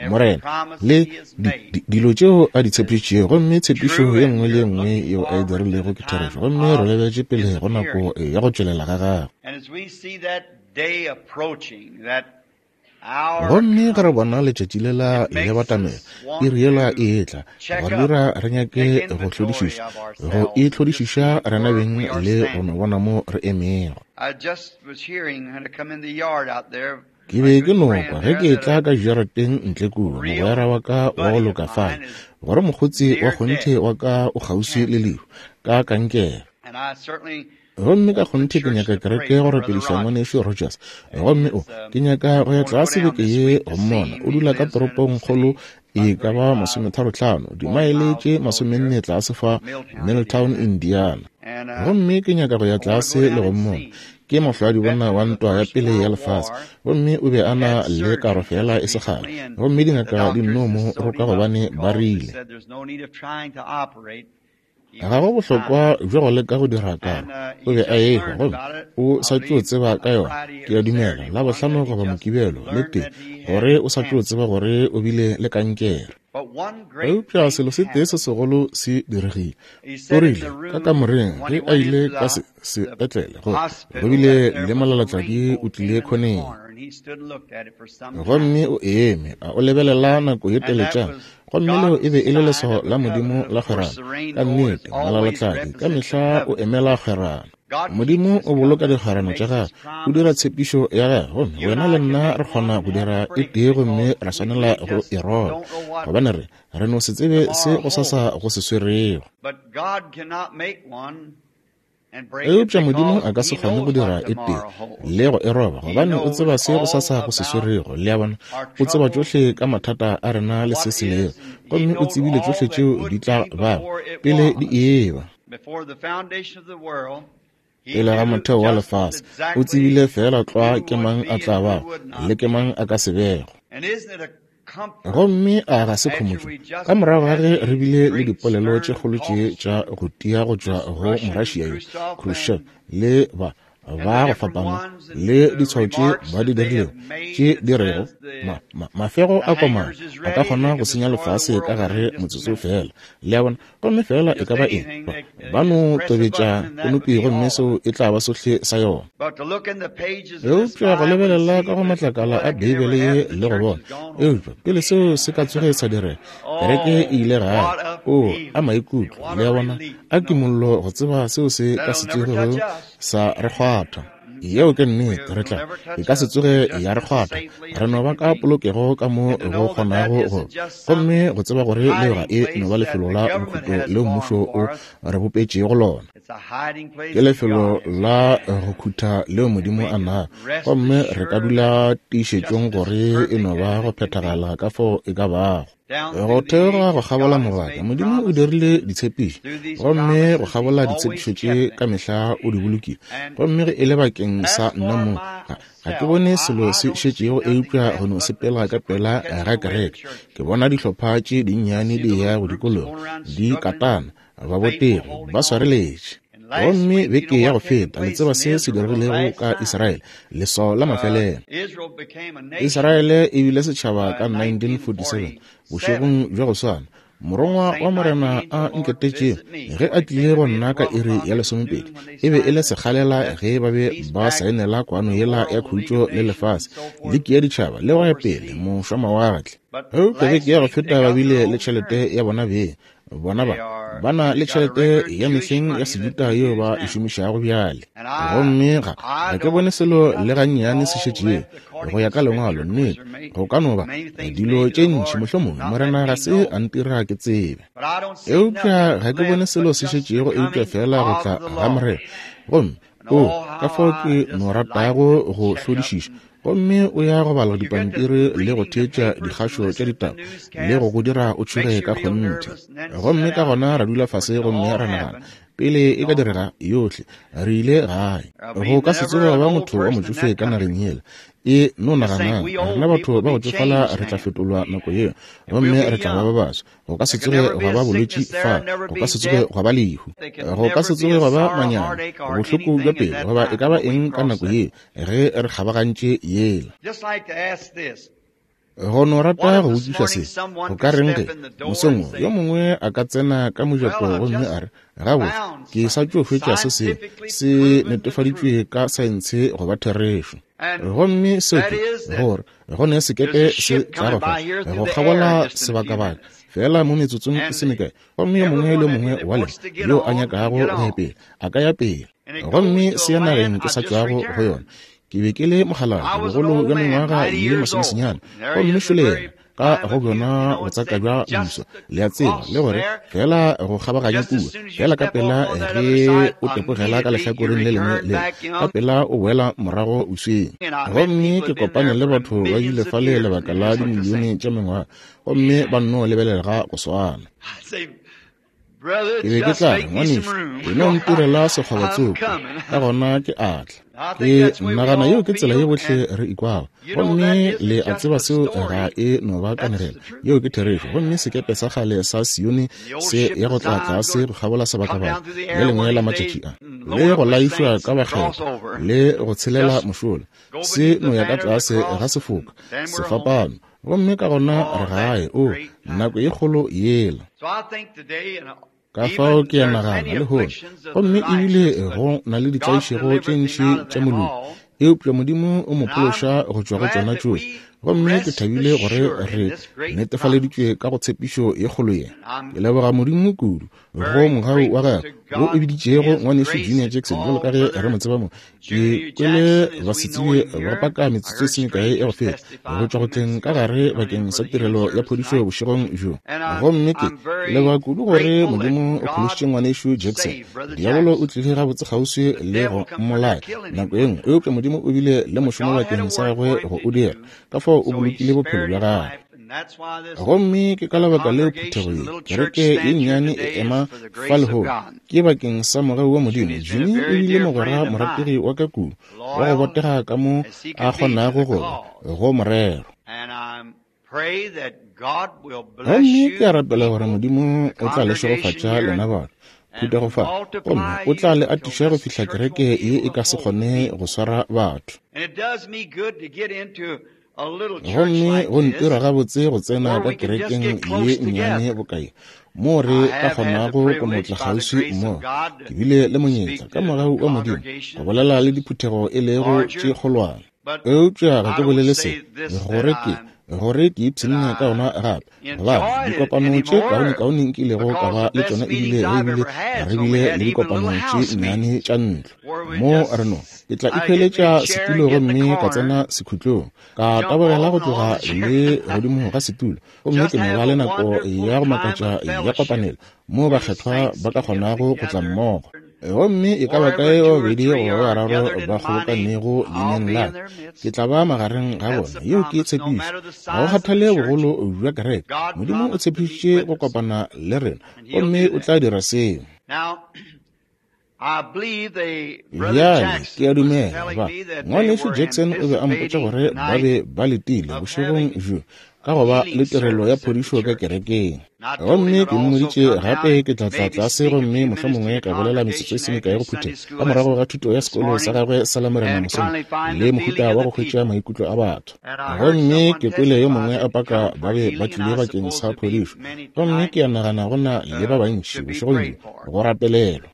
Morena, le di, di, dilo tšeo a di tshepišitšego, gomme tshepišo ye nngwe le ye nngwe yeo a e dirilego ke therešo, gomme re lebetše pele go nako ya go tšwelela ga gagwe. Gomme ge re bona letšatši lela le batamela, iri yela e etla, go re dira re nyake go hlodišiša, go itlhodišiša rena beng le go no bona mo re emego. Ke be ke no kwa ge ke etla ka jarateng ntle kua, mogwera wa ka wa go loka fale, gore mokgotsi wa kgonthe wa ka o kgauswi le lehu, ka kankere. Gomme ka kgonthe ke nyaka kereke go rapediša Ngwanešu Rogers. Gomme o, ke nyaka go ya tlase beke ye go mmona. O dula ka toropongkgolo e ka ba masometharotlhano, dimaele tše masomenne tlase fa Milltown, Indiana. Gomme ke nyaka go ya tlase le go mmona. Ke mohlwadibona wa ntwa ya pele ya lefase, gomme o be a na le karo feela e se kgale. Gomme dingaka di nno mo roka gobane ba rile, Ga go bohlokwa bja go leka go dira karo. O be a ehwa gomme o sa tšo tseba ka yona, ke a dumela, Labohlano goba Mokibelo, le tee, gore o sa tšo tseba gore o bile le kankere. Eupša selo se tee se segolo se diregile. O rile, ka kamoreng, ge a ile ka se, sepetlele, gore go bile le molalatladi o tlile khoneng. Gomme o eme, a o lebelela nako ye teletšana, Gomme leo e be e le leswao la Modimo la kgwerano. Ka nnete, molalatladi ka mehla o emela kgwerano. Modimo o boloka dikgwerano tša gagwe, o dira tshepišo ya gagwe, gomme wena le nna re kgona go dira e tee gomme ra swanela go e roba, gobane re, re no se tsebe se go sasa go se swerego. Eupša Modimo a ka se kgone go dira e tee le go e roba, gobane o tseba se go sasa go se swerego. Le a bona? O tseba tšohle ka mathata a rena le se se lego, gomme o tsebile tšohle tšeo di tla bago pele di eba. Pele ga motheo wa lefase, o tsebile feela tlwa ke mang a tla bago le ke mang a ka se bego. Gomme a ga se khomotšo? Ka morago ga ge re bile le dipolelo tše kgolo tše tša go tia go tšwa go Morašia yo, Khrushchev, le ba ba go fapana, le ditshwao tše ba di dirilego, tše di rego, ma, ma, mafego a komana a ka kgona go senya lefase ka gare motsotso feela. Le a bona? Gomme feela e ka ba eng, ba, ba no tobetša konopi gomme seo e tla ba sohle sa yona. Eupša go lebelela ka go matlakala a Beibele ye le go bona, eupša pele seo se ka tsoge sa direga, kereke e ile gae. Oo, a maikutlo, le a bona, a kimollo go tseba seo se ka se tsogego sa re kgwatha. Yeo ke nnete, re tla, e ka se tsoge ya re kgwatha. Re no ba ka polokego ka mo go kgonago go. Gomme go tseba gore leo ga e no ba lefelo la bokhutlo leo mmušo o re bopetšego lona. Ke lefelo la go khutha leo Modimo a nago, gomme re ka dula tiišetšong gore e no ba go phethagala ka fao e ka bago. Go theoga go kgabola mabaka, Modimo o dirile ditshepišo, gomme go kgabola ditshepišo tše ka mehla o di bolokile. Gomme ge e le bakeng sa nna mong, ga, ga ke bone selo se šetšego eupša go no sepela ka pela ga kereke. Ke bona dihlopha tše dinnyane di eya go dikologa, di katana, babotegi ba swareletše. Gomme beke ya go feta, le tseba se se diregilego ka Israele, leswao la mafelelo. Israele e bile setšhaba ka 1947, bošegong bja go swana. Morongwa wa Morena a nketetšego ge a tlile go nna ka iri ya lesomepedi, e be e le sekgalela ge ba be ba saenela kwano yela ya khutšo le lefase, liki ya ditšhaba le go ya pele, mošwamawatle. Eupša beke ya go feta ba bile le tšhelete ya bona beng, Bona ba ba na le tšhelete ya mehleng ya Sejuta yeo ba e šomišago bjale. Gomme ga, ga ke bone selo le gannyane se šetšego, go ya ka Lengwalo, nnete, go ka no ba dilo tše ntši, mohlomongwe Morena ga se a ntira ke tsebe. Eupša ga ke bone selo se šetšego eupša feela go tla ga Morena. Gomme, oo, ka fao ke no ratago go hlodišiša Gomme o ya go bala dipampiri le go theetša dikgašo tša ditaba le go go dira o tšhoge ka kgonthe. Gomme ka gona ra dula fase gomme ra nagana. Pele e ka direga yohle, re ile gae. Go ka se tsoge gwa ba motho wa motšofe ka nageng yela. E no naganang, rena batho ba go tšofala re tla fetolwa nako yeo, gomme re tla ba ba baswa. Go ka se tsoge gwa ba bolwetši fa, go ka se tsoge gwa ba lehu, go ka se tsoge gwa ba manyami, bohloko bja pelo, goba e ka ba eng ka nako yeo ge re kgabagantše yela. Go no rata go botšiša se, go ka reng ge mosong wo yo mongwe a ka tsena ka mojako gomme a re, Gabotse, ke sa tšo hwetša se sengwe se netefaditšwe ka saense go ba therešo. Gomme seo ke gore go ne sekepe se tla go fa go kgabola sebakabaka feela mo metsotsong e se mekae, gomme yo mongwe le yo mongwe wa lena yo a nyakago go ya pele a ka ya pele. Gomme se ya nageng ke sa tšwago go yona. Ke be ke le mokgalabje, bogolo bja mengwaga ye masomesenyane, gomme šole yena ka go bjona botsaka bja mmuso, le a tseba, le gore feela go kgabaganya kua, feela ka pela ge o tepogela ka lehlakoreng le lengwe le, ka pela o boela morago bosweng. Gomme ke kopane le batho ba bile fale lebaka la dimilione tša mengwaga, gomme ba nno lebelega go swana. Ke be ke tla re, Ngwanešu, e no ntirela sekgoba tsoko, ka gona ke a tla. Ke nagana yeo ke tsela ye bohle re ikwago. Gomme le a tseba seo ga e no ba kanegelo. Yeo ke therešo. Gomme sekepe sa kgale sa Sione se ya go tla tlase go kgabola sebakabaka le lengwe la matšatši a, le go laišwa ka bakgethwa, le go tshelela mošola, se no ya ka tlase ga sefoka, sefapano. Gomme ka gona re gae, o, nako ye kgolo yela. Ka fao ke a nagana lehono, gomme ebile go na le ditlaišego tše ntši tša moloki, eupša Modimo o mo phološa go tšwa go tšona tšohle. Gomme ke thabile gore re netefaleditšwe ka go tshepišo ye kgolo ye. Ke leboga Modimo kudu go mogau wa gagwe wo o biditšego ngwanešu Junior Jackson, bjalo ka ge re mo tseba mo. Ke kwele basetsebje ba paka metsotso e se mekae ya go feta go tšwa go tleng ka gare bakeng sa tirelo ya phodišo bošegong bjo. Gomme ke leboga kudu gore Modimo o phološitše ngwanešu Jackson. Diabolo o tlile gabotse kgauswi le go mmolaya nako ye nngwe, eupša Modimo o bile le mošomo bakeng sa gagwe go o dira, ka fao o bolokile bophelo bja gagwe. Gomme ke ka lebaka leo phuthego ye, kereke ye nnyane e ema fa lehono, ke bakeng sa mogau wa Modimo. Jimmy o bile mogwera morategi wa ka kudu, wa go botega ka mo a kgonago go ba, go morero. Gomme ke a rapela gore Modimo o tla le šegofatša lena batho, phuthego fa, gomme o tla le atiša go fihla kereke ye e ka se kgone go swara batho. Gomme go ntira gabotse go tsena ka kerekeng ye nnyane boka ye, moo re ka kgonago go no tla kgauswi mmogo. Ke bile le monyetla, ka mogau wa Modimo, go bolela le diphuthego e lego tše kgolwane. Eupša ga ke bolele se gore ke, gore ke ipshinne ka ona gape, gobane dikopano tše kaonekaone nkilego ka ba le tšona ebile re bile, re bile le dikopano tše nnyane tša ntlo. Mo re no, ke tla ikhweletša setulo gomme ka tsena sekhutlong, ka tabogela go tloga le godimo ga setulo, gomme ke no ba le nako ya go makatša ya kopanelo moo bakgethwa ba ka kgonago go tla mmogo. Gomme e ka ba kae ba babedi goba ba bararo ba kgobokanego leineng la ka, ke tla ba magareng ga bona. Yeo ke tshepišo. Ga go kgathale bogolo bja kereke, Modimo o tshepišitše go kopana le rena, gomme o tla dira seo. Bjale, ke a dumela ba, Ngwanešu Jackson o be a mpotša gore ba be ba letile bošegong bjo ka go ba le tirelo ya phodišo ka kerekeng. Gomme ke mmoditše gape ke tla tla tlase gomme mohlomongwe ka bolela metsotso e se mekae go phuthego ka morago ga thuto ya sekolo sa gagwe sa Lamorena mosong, le mohuta wa go hwetša maikutlo a batho. Gomme ke kwele yo mongwe a paka ba be ba tlile bakeng sa phodišo, gomme ke a nagana go na le ba bantši bošegong bjo go rapelelwa.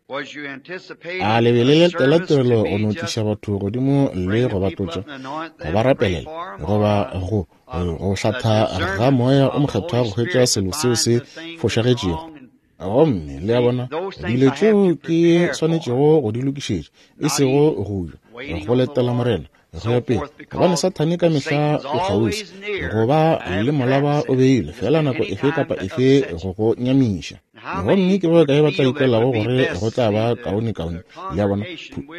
A le be le letela tirelo go no tliša batho godimo le go ba tlotša, go ba rapelela, goba go go hlatha ga Moya o Mokgethwa go hwetša selo seo se fošagetšego? Gomme le a bona, dilo tšeo ke swanetšego go di lokišetša, e sego go ja, go letela Morena, go ya pele, gobane Sathane ka mehla o kgauswi go ba le molaba o beilwe, feela nako efe kapa efe go go nyamiša. Gomme ke ba bakae ba tla ikwelago gore go tla ba kaonekaone? Le a bona,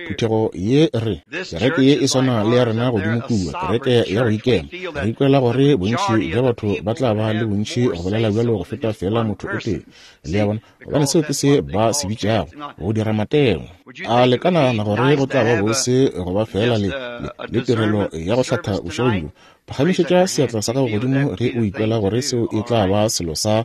phuthego ye re, kereke ye e swana le ya rena godimo kua, kereke ya go ikema. Re ikwela gore bontši bja batho ba tla ba le bontši go bolela bjalo go feta feela motho o tee. Le a bona, gobane seo ke se ba se bitšago go dira matengwa. A le ka nagana gore go tla ba bose go ba feela le, le, le tirelo ya go hlatha bošegong bjo? Phagamišetša seatla sa gago godimo ge o ikwela gore seo e tla ba selo sa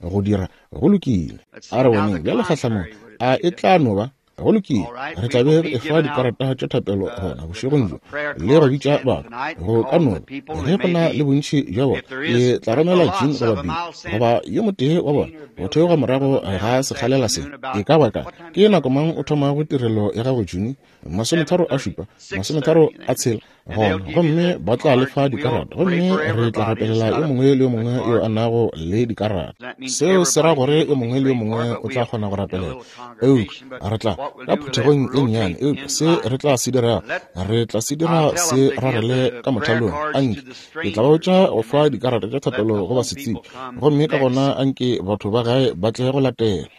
go dira. Go lokile. A re boneng bjale kgahlanong. A e tla no ba? Go lokile. Re tla be re efa dikarata tša thapelo gona bošegong bjo le go bitša batho. Go ka no ba ge go na le bontši bja bona, ke tla romela Gene goba Bill goba yo motee wa bona go theoga morago ga sekgalela se. E ka ba ka ke nako mang o thomago tirelo ya gago, June? 37, 36 gona, gomme ba tla le fa dikarata, gomme re tla rapelela yo mongwe le yo mongwe yo a nago le dikarata. Seo se ra gore yo mongwe le yo mongwe o tla kgona go rapelela. Eupša re tla ka phuthegong e nnyane, eupša se re tla se dira, re tla se dira se rarele ka mothalong. Anke ke tla ba botša go fa dikarata tša thapelo go basetsebje, gomme ka gona anke batho ba gae ba tle go latela.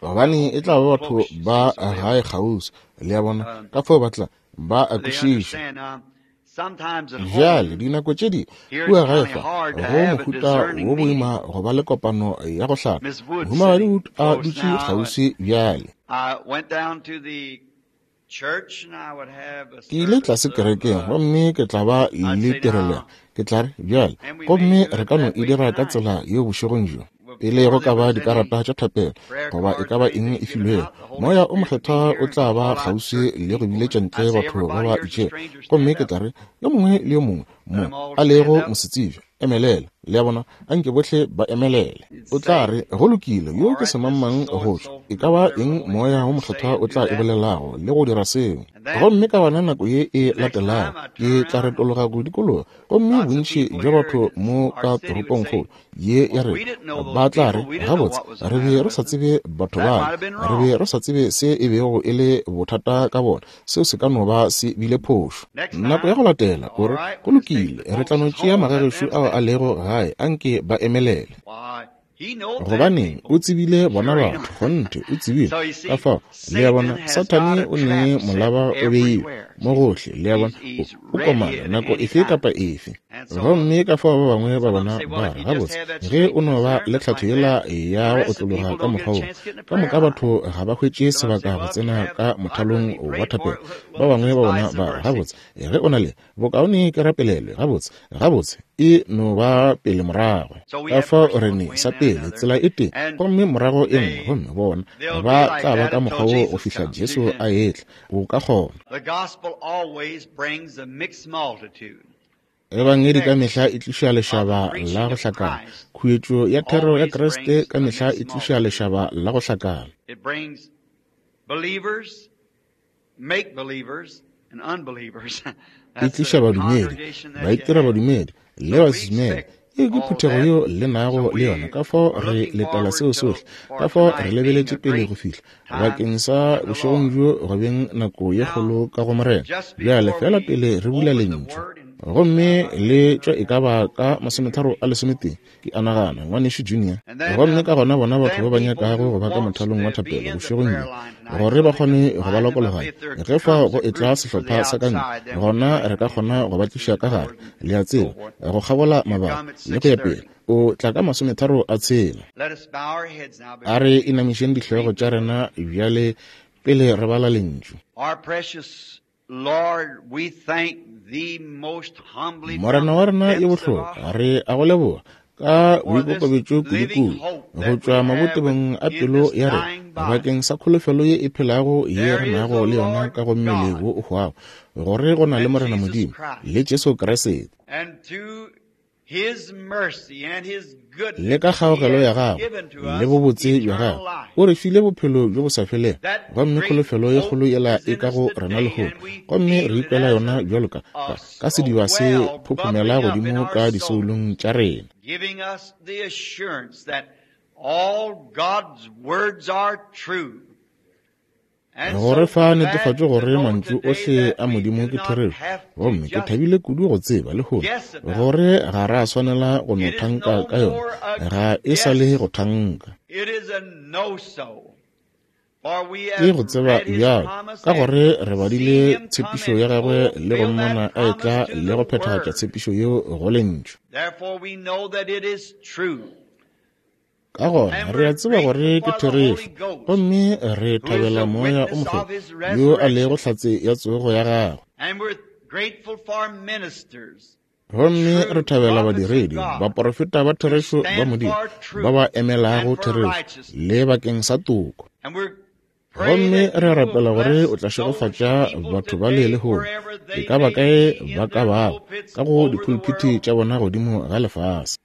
Gobane e tla ba batho ba gae kgauswi, le a bona, ka fao ba tla ba a kwešiša. Bjale, dinako tše dingwe kua gae fa go mohuta wo boima go ba le kopano ya go hlaka. Mohumagadi Wood a dutše kgauswi bjale. Ke ile tlase kerekeng gomme ke tla ba le tirelo. Ke tla re, bjale, gomme re ka no e dira ka tsela yeo bošegong bjo, pele go ka ba dikarata tša thapelo goba e ka ba eng e filwego. Moya o Mokgethwa o tla ba kgauswi le go biletša ntle batho ba ba itšego. Gomme ke tla re, yo mongwe le yo mongwe mo a lego mosetsebje, emelela. Le a bona? Anke bohle ba emelele. O tla re, Go lokile, yo ke semangmang go tšwa. E ka ba eng Moya wo Mokgethwa o tla e bolelago, le go dira seo. Gomme ka gona nako ye e latelago, ke tla retologa go dikologa, gomme bontši bja batho mo ka toropongkgolo ye ya rena ba tla re, Gabotse, re be re sa tsebe batho bale. Re be re sa tsebe se e bego e le bothata ka bona. Seo se ka no ba se bile phošo. Nako ya go latela, o re, Go lokile, re tla no tšea magagešo ao a lego gae, anke ba emelele. Gobaneng, o tsebile bona batho, kgonthe, o tsebile. Ka fao, le a bona, Sathane o ne molaba o beilwe mo gohle, le a bona, o komana nako efe kapa efe. Gomme ka fao ba bangwe ba bona ba re, Gabotse, ge o no ba le tlhatho yela ya go otlologa ka mokgwa wo, ka moka batho ga ba hwetše sebaka go tsena ka mothalong wa thapelo. Ba bangwe ba bona ba re, Gabotse, ge o na le, bokaone ke rapelelwe. Gabotse, gabotse, e no ba pele morago. Ka fao re ne, sa pele, tsela e tee, gomme morago e nngwe, gomme bona ba tla ba ka mokgwa wo go fihla Jesu a etla. O ka kgona. Ebangedi ka mehla e tliša lešaba la go hlakana. Khuetšo ya thero ya Kriste ka mehla e tliša lešaba la go hlakana. E tliša badumedi, baitira badumedi, le basedumele. Ye ke phuthego yeo le nago le yona, ka fao re letela seo sohle, ka fao re lebeletše pele go fihla bakeng sa bošegong bjo go beng nako ye kgolo ka go Morena. Bjale feela pele re bula Lentšu, gomme le tšwa e ka ba ka 2:31, ke a nagana, Ngwanešu Junior. Gomme ka gona bona batho ba ba nyakago go ba ka mothalong wa thapelo bošegong bjo, gore ba kgone go ba lokologanya, ge fao go etla sehlopha sa ka ntle, gona re ka kgona go ba tliša ka gare, le a tseba, go kgabola mabaka le go ya pele. O tla ka 36. A re inamišeng dihlogo tša rena bjale pele re bala Lentšu. Morena wa rena yo bohlokwa, re a go leboga ka boikokobetšo kudu-kudu go tšwa mabotebong a pelo ya rena bakeng sa kholofelo ye e phelago ye re nago le yona ka go mmele wo o hwago, gore go na le Morena Modimo le Jesu Kriste. Le ka kgaogelo ya gagwe le bobotse bja gagwe o re file bophelo bjo bo sa felego, gomme kholofelo ye kgolo yela e ka go rena lehono, gomme re ikwela yona bjalo ka, ka, ka sediba se phophomela godimo ka disoulong tša rena. Go re fa netefatšo gore mantšu ohle a Modimo ke therešo. Gomme ke thabile kudu go tseba lehono gore ga ra swanela go no thanka ka yona, ga e sa le go thanka. Ke go tseba bjalo, ka gore re badile tshepišo ya gagwe le go mmona a etla le go phethagatša tshepišo yeo go Lentšu. Ka gona re a tseba gore ke therešo, gomme re thabela Moya o Mokgethwa yo a lego hlatse ya tsogo ya gagwe. Gomme re thabela badiredi, baporofeta ba therešo ba Modimo, ba ba emelago therešo le bakeng sa toko. Gomme re a rapela gore o tla šegofatša batho ba le lehono, e ka ba kae ba ka bago, ka go dipulpiti tša bona godimo ga lefase.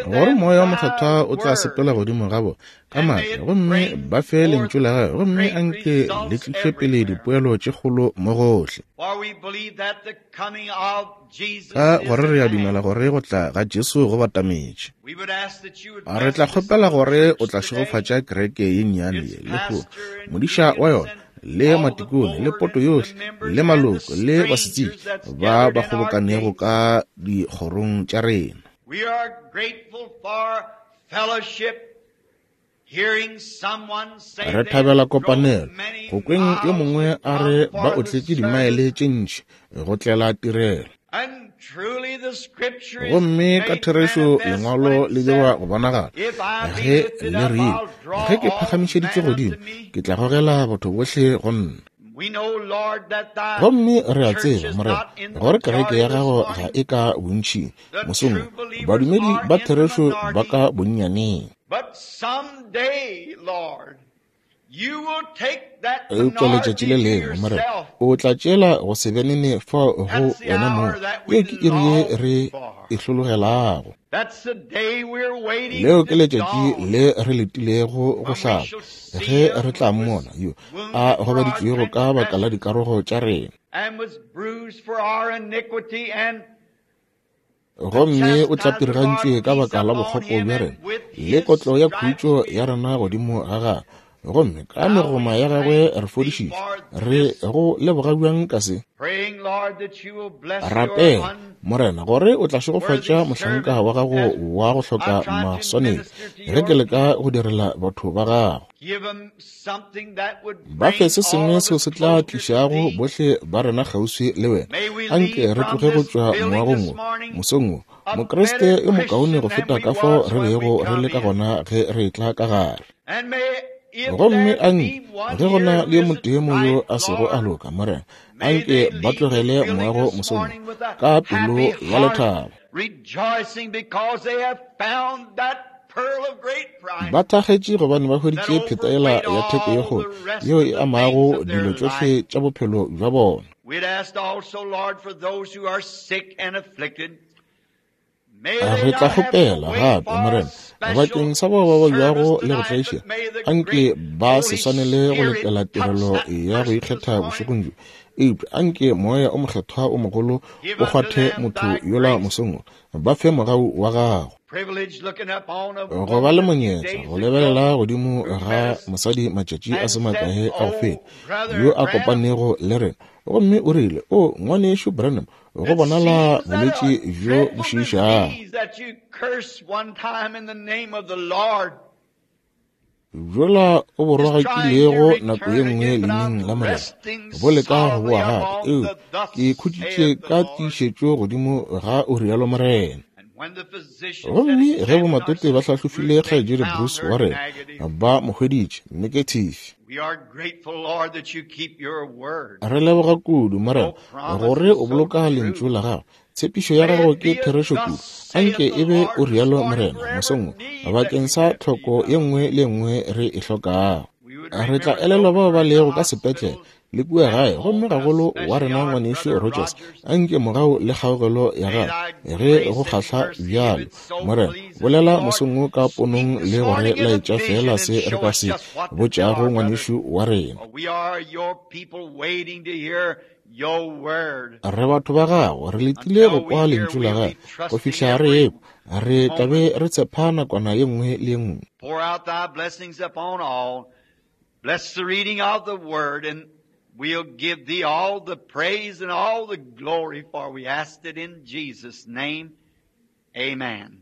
Gore Moya wa Mokgethwa o tla sepela godimo ga bona ka maatla, gomme ba fe lentšu la gagwe, gomme anke le tliše pele dipoelo tše kgolo mo gohle. Ka gore re a dumela gore go tla ga Jesu go batametše. Re tla kgopela gore o tla šegofatša kereke ye nnyane ye lehono, modiša wa yona, le matikone, le poto yohle, le maloko, le basetsebje ba ba kgobokanego ka dikgorong tša rena. Re thabela kopanelo go kweng yo mongwe a re ba otletše dimaele tše ntši go tlela tirelo. Gomme ka therešo lengwalo le dirwa go bonagala ge le rile, ge ke phagamišeditšwe godimo, ke tla gogela batho bohle go nna. Gomme re a tseba, Morena, gore kereke ya gago ga e ka bontšing mosong wo, badumedi ba therešo ba ka bonnyaneng. Eupša letšatši le lengwe, Morena, o tla tšeela go se benene fao go wena mong. Yeo ke iri ye re e hlologelago. Leo ke letšatši le re letilego go hlaba, ge re tla mmona yo a gobaditšwego ka baka la dikarogo tša rena. Gomme o tlapirigantšwe ka baka la bokgopo bja rena, le kotlo ya khutšo ya rena godimo ga gagwe. Gomme ka megoma ya gagwe re fodišitšwe. Re go leboga bjang ka se. Rapela, Morena, gore o tla šegofatša mohlanka wa gago wa go hloka maswanedi ge ke leka go direla batho ba gago. Ba fe se sengwe seo se tla tlišago bohle ba rena kgauswi le wena. Anke re tloge go tšwa moagong wo mosong wo, Mokriste yo mokaone go feta ka fao re bego re le ka gona ge re etla ka gare. Gomme anke ge go na le yo motee mo yo a sego a loka, Morena, anke ba tlogele moago mosong wo ka pelo ya lethabo, ba thakgetše gobane ba hweditše pheta yela ya theko ye kgolo yeo e amago dilo tšohle tša bophelo bja bona. Re tla kgopela gape, Morena, bakeng sa bao ba babjago le go tlaišega, anke ba se swanele go letela tirelo ya go ikgetha bošegong bjo, eupša anke Moya o Mokgethwa o mogolo o kgwathe motho yola mosong wo, ba fe mogau wa gago. Go ba le monyetla go lebelela godimo ga mosadi matšatši a se makae a go feta, yo a kopanego le rena, gomme o rile, O Ngwanešu Branham, go bonala bolwetši bjo bo šiišago bjola o bo rogakilego nako ye nngwe leineng la Morena, bo leka go boa gape. Eupša ke khutšitše ka tiišetšo godimo ga o rialo Morena. Gomme ge bomatete ba hlahlofile kgaetšedi Bruce wa rena, ba mo hweditše negative. Re leboga kudu, Morena, gore o boloka lentšu la gago. Tshepišo ya gago ke therešo kudu. Anke e be o rialo, Morena, mosong wo, bakeng sa tlhoko ye nngwe le ye nngwe re e hlokago. Re tla elelwa bao ba lego ka sepetlele le kua gae, gomme gagolo wa rena ngwanešu Rogers, anke mogau le kgaogelo ya gagwe ge go kgahla bjalo, Morena, bolela mosong wo ka ponong le go re laetša feela se re ka se botšago ngwanešu wa rena. your word. Re batho ba gago, re letile go kwa lentšu la gago go fihla re ekwa. Re tla be re tshepa nakwana ye nngwe le ye nngwe. Pour out thy blessings upon all. Bless the reading of the word, and we'll give thee all the praise and all the glory, for we asked it in Jesus' name. Amen.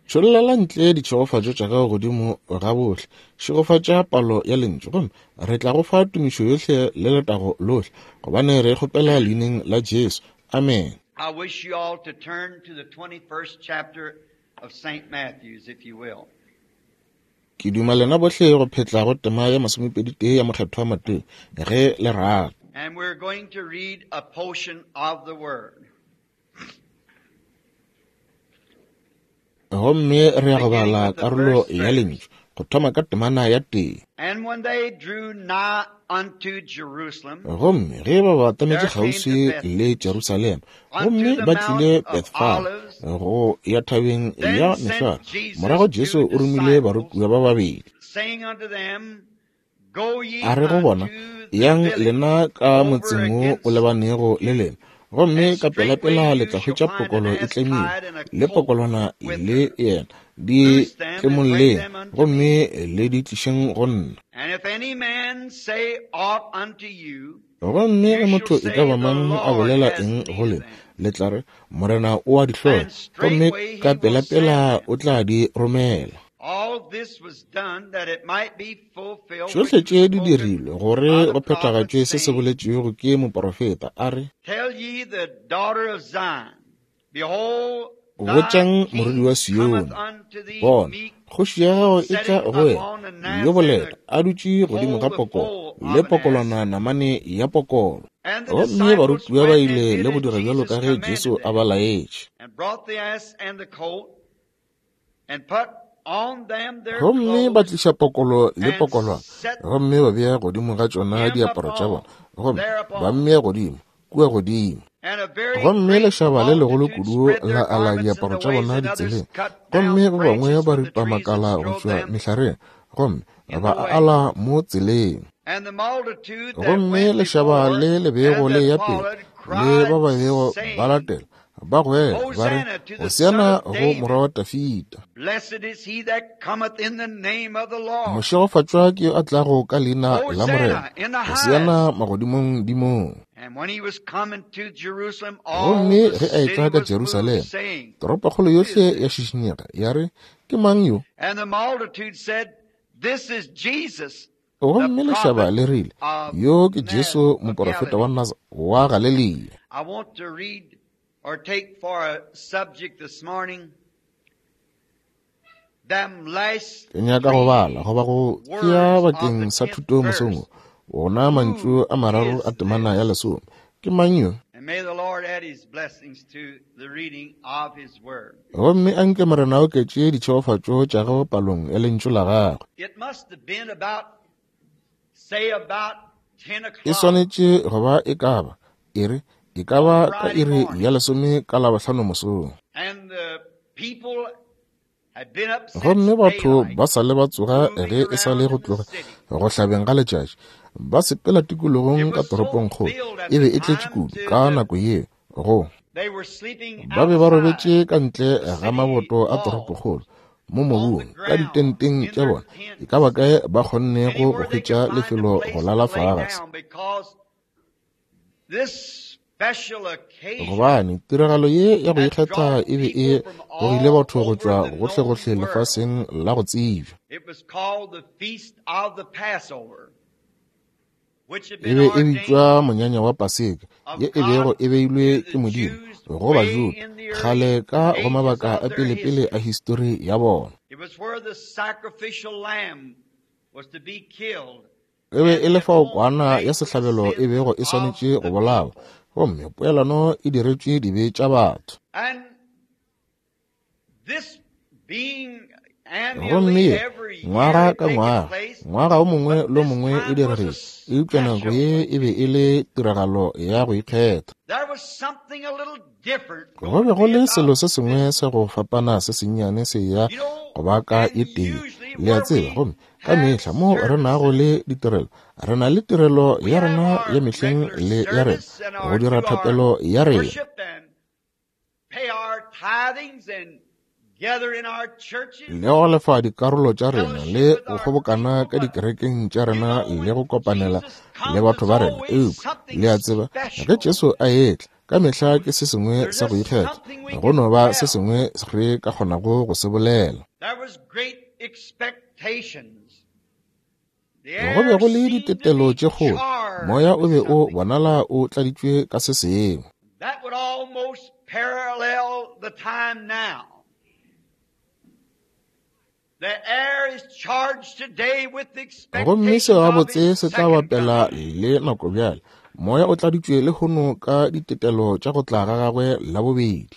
Tšhollela ntle ditšhegofatšo tša gago godimo ga bohle. Šegofatša palo ya lentšu, gomme re tla go fa tumišo yohle le letago lohle, gobane re kgopela leineng la Jesu. Amen. I wish you all to turn to the 21st chapter of St. Matthew's, if you will. Ke duma lena bohle go phetla go tema ya 21 ya Mokgethwa Mateo, ge le rata. And we're going to read a portion of the word. Gomme re ya go bala karolo ya lentšu go thoma ka temana ya 1. And when they drew nigh unto Jerusalem, Gomme ge ba batametše kgauswi le Jerusalema, gomme ba tlile Bethfage go ya thabeng ya Mehlware, morago Jesu o romile barutiwa ba babedi, saying unto them, Go ye a re go bona, unto the Yang village lena ka over motseng wo o against lebanego le lena, gomme and ka straightway pelapela le you tla shall hwetša find an pokolo e ass tlemilwe, tied and a le colt pokolwana with le her. yena, di Loose them and bring tlemolleng, them unto me. gomme le di tlišeng go nna. And if any man say aught unto you, Gomme you ge shall motho e ka say, ba The mang a Lord bolela has eng go need of lena, them. le tla re, Morena o a di hloka, And gomme straightway he ka will send pelapela them. o tla di romela. All this was done that it might be fulfilled Tšohle which was tše di spoken dirilwe gore by the go prophet, phethagatšwe se se saying, boletšwego ke moporofeta, a re, Tell ye the daughter of Zion, Behold, thy Botšang morwedi king wa cometh Sione, unto thee bona, meek, kgoši ya gago e tla sitting go wena, upon an yo ass and boleta, the a dutše godimo colt, ga the pokolo, foal le of an ass. pokolwana namane ya pokolo. And the Gomme disciples barutiwa ba went and ile did le go as dira bjalo Jesus ka ge Jesu commanded a ba them, laetše. and brought the ass and the colt, and put on them their Gomme ba clothes, tliša pokolo le and pokolwana, set gomme ba bea godimo ga tšona him diaparo tša upon bona, gomme ba thereupon. mmea godimo kua godimo. And a very Gomme great lešaba le legolo multitude kudu spread la their ala garments in diaparo the tša ways, bona and others ditseleng, cut gomme down ba bangwe branches ba from the ripa trees and makala go strode tšwa them mehlareng, gomme in the ba way. ala mo tseleng. And the multitude that Gomme went lešaba before le le bego and le that ya pele followed le ba cried, ba bego ba saying, latela, ba goela ba re, Hosanna to the Son Hosiana of go David. morwa wa Dafida. Blessed is he that cometh in the name of the Lord. Mošegofatšwa ke yo a tlago ka leina la Morena, Hosanna in the Hosiana highest. magodimong dimong. And when he was coming to Jerusalem, all Gomme the ge a city etla ka was moved, Jerusalema, saying, toropokgolo Who is yohle ya this? šišinyega, ya re, Ke mang yo? And the multitude said, This is Jesus, the Gomme lešaba prophet le rile, of Yo ke Jesu of moporofeta wa Galilee. Naza wa Galilea. I want to read or take for a subject this morning them last Ke nyaka go bala three goba go tšea words of the bakeng sa 10th thuto mosong verse. wo, wona mantšu Who a mararo is a temana ya this? 10. Ke mang yo? And may the Lord add his blessings to the reading of his word. Gomme a nke Morena a oketše ditšhegofatšo tša gagwe palong ya lentšu la gagwe. It must have been about, say, about 10 E o'clock swanetše go ba e ka ba iri e ka on ba ka Friday iri ya morning. 10 ka Labohlano mosong. And the people had been up since Gomme batho daylight, ba sa le ba tsoga moving ge e sa le around go in the tloga city. go hlabeng ga letšatši, ba sepela It tikologong ka was so toropongkgolo. filled at E be the e tletše time kudu to ka the nako yeo go they were sleeping ba be ba outside robetše ka ntle the ga city maboto a walls, toropokgolo mo on the mobung ka ground, ditenteng in tša their bona, e ka ba tents, kae ba kgonnego go anywhere they could hwetša find a lefelo go place to lala lay fase. down, because this special occasion Gobane tiragalo ye ya go had ikgetha drawn e be e people from gogile all batho go over tšwa the known gohlegohle world. lefaseng la go tsebja. It was called the Feast of the Passover, which had E been be e bitšwa ordained monyanya wa Paseka, of ye e bego God e beilwe to ke the Modimo Jews go way Bajuda in the kgale early ka go ages mabaka of a their pelepele history. a histori ya bona. It was where the sacrificial lamb was to be killed E be and e the le fao atonement kwana ya made for the sehlabelo e sins bego e of swanetše go the bolawa, people. gomme poelano e diretšwe dibe tša batho. And this being Gomme annually ye every Ngwaga ka ngwaga, ngwaga o mongwe le o mongwe e diregile, eupša nako ye e be e le tiragalo ya go ikgetha. Go be go le selo se sengwe sa go fapana se sennyane se ya go ba ka e tee, le a tseba. Gomme ka mehla mo re nago le ditirelo, re na le tirelo ya rena ya mehleng le ya rena go dira thapelo ya rena le go lefa dikarolo tša rena le go kgobokana ka dikerekeng tša rena le go kopanela le batho ba rena. Eupša le a tseba, ge Jesu a etla, ka mehla ke se sengwe sa go ikgetha, go no ba se sengwe re ka kgonago go se bolela. Go be go le ditetelo tše kgolo, moya o be o bonala o tladitšwe ka se sengwe. Gomme seo gabotse se tla bapela le nako bjale. Moya o tladitšwe lehono ka ditetelo tša go tla ga gagwe la bobedi.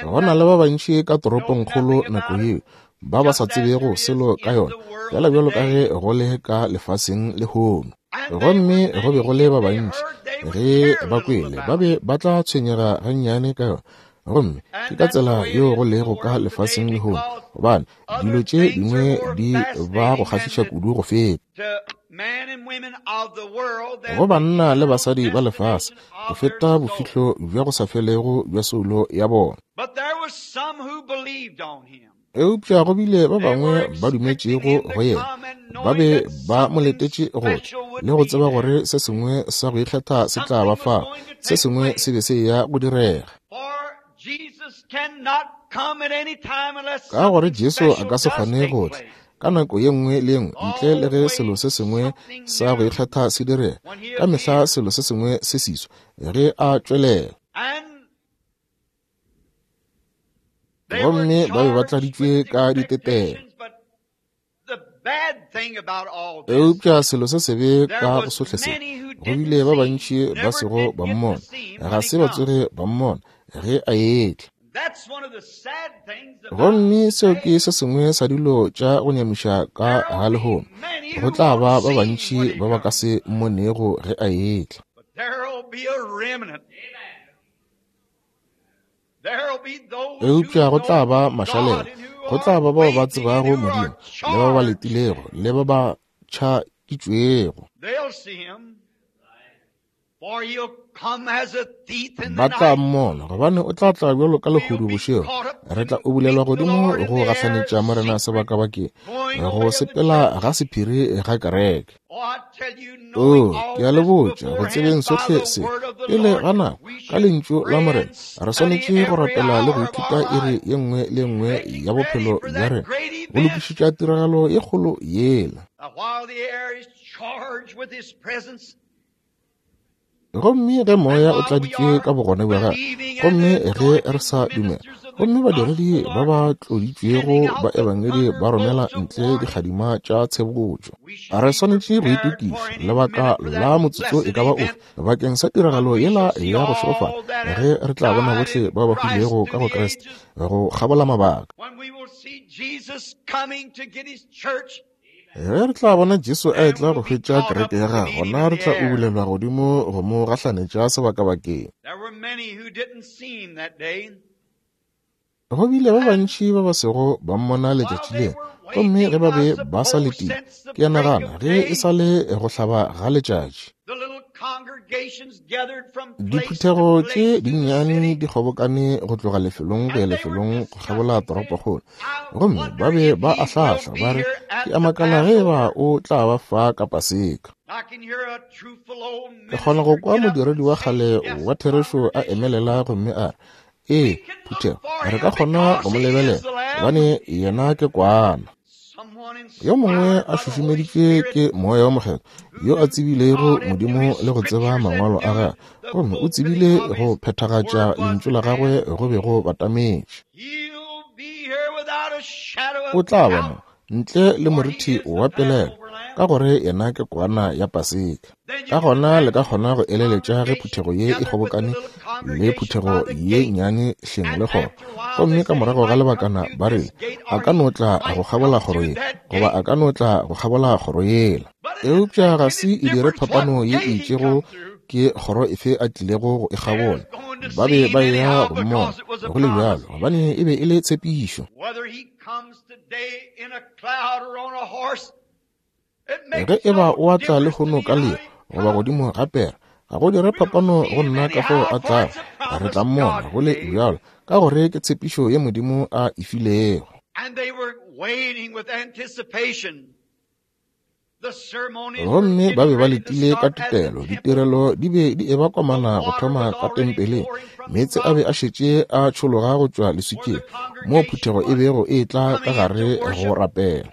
Go na le ba bantši ka toropongkgolo nako yeo ba ba sa tsebego selo ka yona, fela bjalo ka ge go le ka lefaseng lehono. Gomme go be go le ba bantši ge ba kwele ba be ba tla tshwenyega gannyane ka yona. Gomme ke ka tsela yeo go lego ka lefaseng lehono, gobane dilo tše dingwe di ba go kgahliša kudu go feta go banna le basadi ba lefase go feta bofihlo bja go sa felego bja soulo ya bona. Eupša go bile ba bangwe ba dumetšego go yena, ba be ba mo letetše go tla le go tseba gore se sengwe sa go ikgetha se tla ba fa, se sengwe se be se ya go direga. Ka gore Jesu a ka se kgone go tla ka nako ye nngwe le ye nngwe ntle le ge selo se sengwe sa go ikgetha se direga. Ka mehla selo se sengwe se siswa ge a tšwelela. Gomme ba be ba tladitšwe ka ditetelo. Eupša selo se sebe ka go sohle se, go bile ba bantši ba sego ba mmona, ga se ba tsoge ba mmona ge a etla. Gomme seo ke se sengwe sa dilo tša go nyamiša ka ga lehono, go tla ba ba bantši ba ba ka se mmonego ge a etla. Eupša go tla ba mašalela, go tla ba bao ba tsebago Modimo, le ba ba letilego, le ba ba tšhakitšwego. Ba tla mmona, gobane o tla tla bjalo ka lehodu bošego. Re tla ubulelwa godimo go gahlanetša Morena sebakabakeng, go sepela ga sephiri ga kereke. O, ke a le botša, go tsebeng sohle se pele ga nako, ka lentšu la Morena, re swanetše go rapela le go ithuta iri ye nngwe le nngwe ya bophelo bja rena, go lokišetša tiragalo ye kgolo yela. Gomme ge moya o tladitšwe ka bogona bja gagwe, gomme ge re sa dumela, gomme badiredi ba ba tloditšwego ba ebangedi ba romela ntle dikgadima tša tshebotšo, re swanetše go itokiša lebaka la motsotso e ka ba ofe bakeng sa tiragalo yela ya go šegofala, ge re tla bona bohle ba ba hwilego ka go Kriste go kgabola mabaka. Ge re tla bona Jesu a etla go hwetša kereke ya gagwe, gona re tla ubulelwa godimo go mo gahlanetša sebakabakeng. Go bile ba bantši ba ba sego ba mmona letšatši leo, gomme ge ba be ba sa letile, ke a nagana ge e sa le go hlaba ga letšatši. Diphuthego tše dinnyane di kgobokane go tloga lefelong go ya lefelong go kgabola toropokgolo, gomme ba be ba ahlahla ba re, Ke a makala ge eba o tla ba fa ka Paseka. Ke kgona go kwa modiredi wa kgale wa therešo a emelela gomme a re, Ee, phuthego, re ka kgona go mo lebelela, gobane yena ke kwana. Yo mongwe a šušumeditšwe ke Moya wo Mokgethwa, yo a tsebilego Modimo le go tseba Mangwalo a gagwe, gomme o tsebile go phethagatša Lentšu la gagwe go be go batametše. O tla ba mo, ntle le morithi wa pelaelo, ka gore yena ke kwana ya Paseka. Ka gona le ka kgona go eleletša ge phuthego ye e kgobokane le phuthego ye nnyane hleng le kgoro. Gomme ka morago ga lebakana ba rile, A ka no tla go kgabola kgoro ye, goba a ka no tla go kgabola kgoro yela. Eupša ga se e dire phapano ye e itšego ke kgoro efe a tlilego go e kgabola. Ba be ba eya go mmona, go le bjalo, gobane e be e le tshepišo. Ge e ba o a tla lehono ka leo goba godimo ga pere, ga go dire phapano go nna ka fao a tlago, re tla mmona go le bjalo, ka gore ke tshepišo ye Modimo a e filego. Gomme ba be ba letile ka tetelo, ditirelo di be di eba komana go thoma ka tempeleng, meetse a be a šetše a tšhologa go tšwa leswikeng, moo phuthego e bego e etla ka gare go rapela.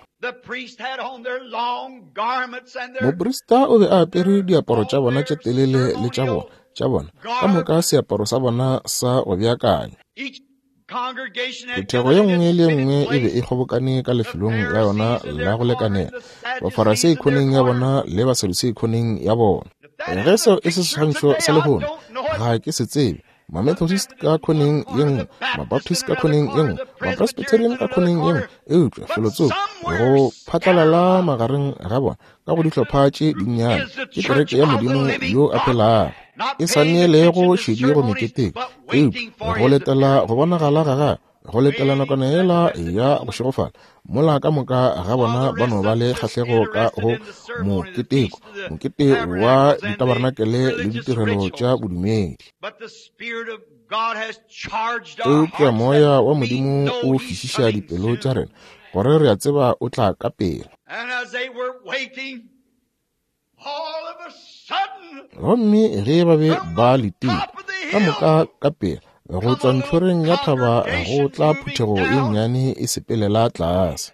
Moprista o be a apere diaparo tša bona tše telele le tša bona, tša bona, ka moka seaparo sa bona sa go beakanywa. Phuthego ye nngwe le ye nngwe e be e kgobokane ka lefelong la yona la go lekanela, Bafarasei khoneng ya bona le Basadusei khoneng ya bona. Ge seo e se seswantšho sa lehono, ga ke se tsebe. Mamethodist ka khoneng ye nngwe, Mabaptist ka khoneng ye nngwe, Mapresbyterian ka khoneng ye nngwe, eupša felotsoko go phatlalala magareng ga bona ka go dihlopha tše dinnyane ke kereke ya Modimo yo a phelago, e sa neelego šedi go meketeko, eupša go letela go bonagala ga gagwe, go letela nakwana yela ya go šegofala, mola ka moka ga bona ba no ba le kgahlego ka go moketeko, mokete wa ditabarenakele le ditirelo tša bodumedi. Eupša Moya wa Modimo o fišiša dipelo tša rena gore re a tseba o tla ka pela. Gomme ge ba be ba letile, ka moka ka pela, go tšwa ntlhoreng ya thaba go tla phuthego ye nnyane e sepelela tlase.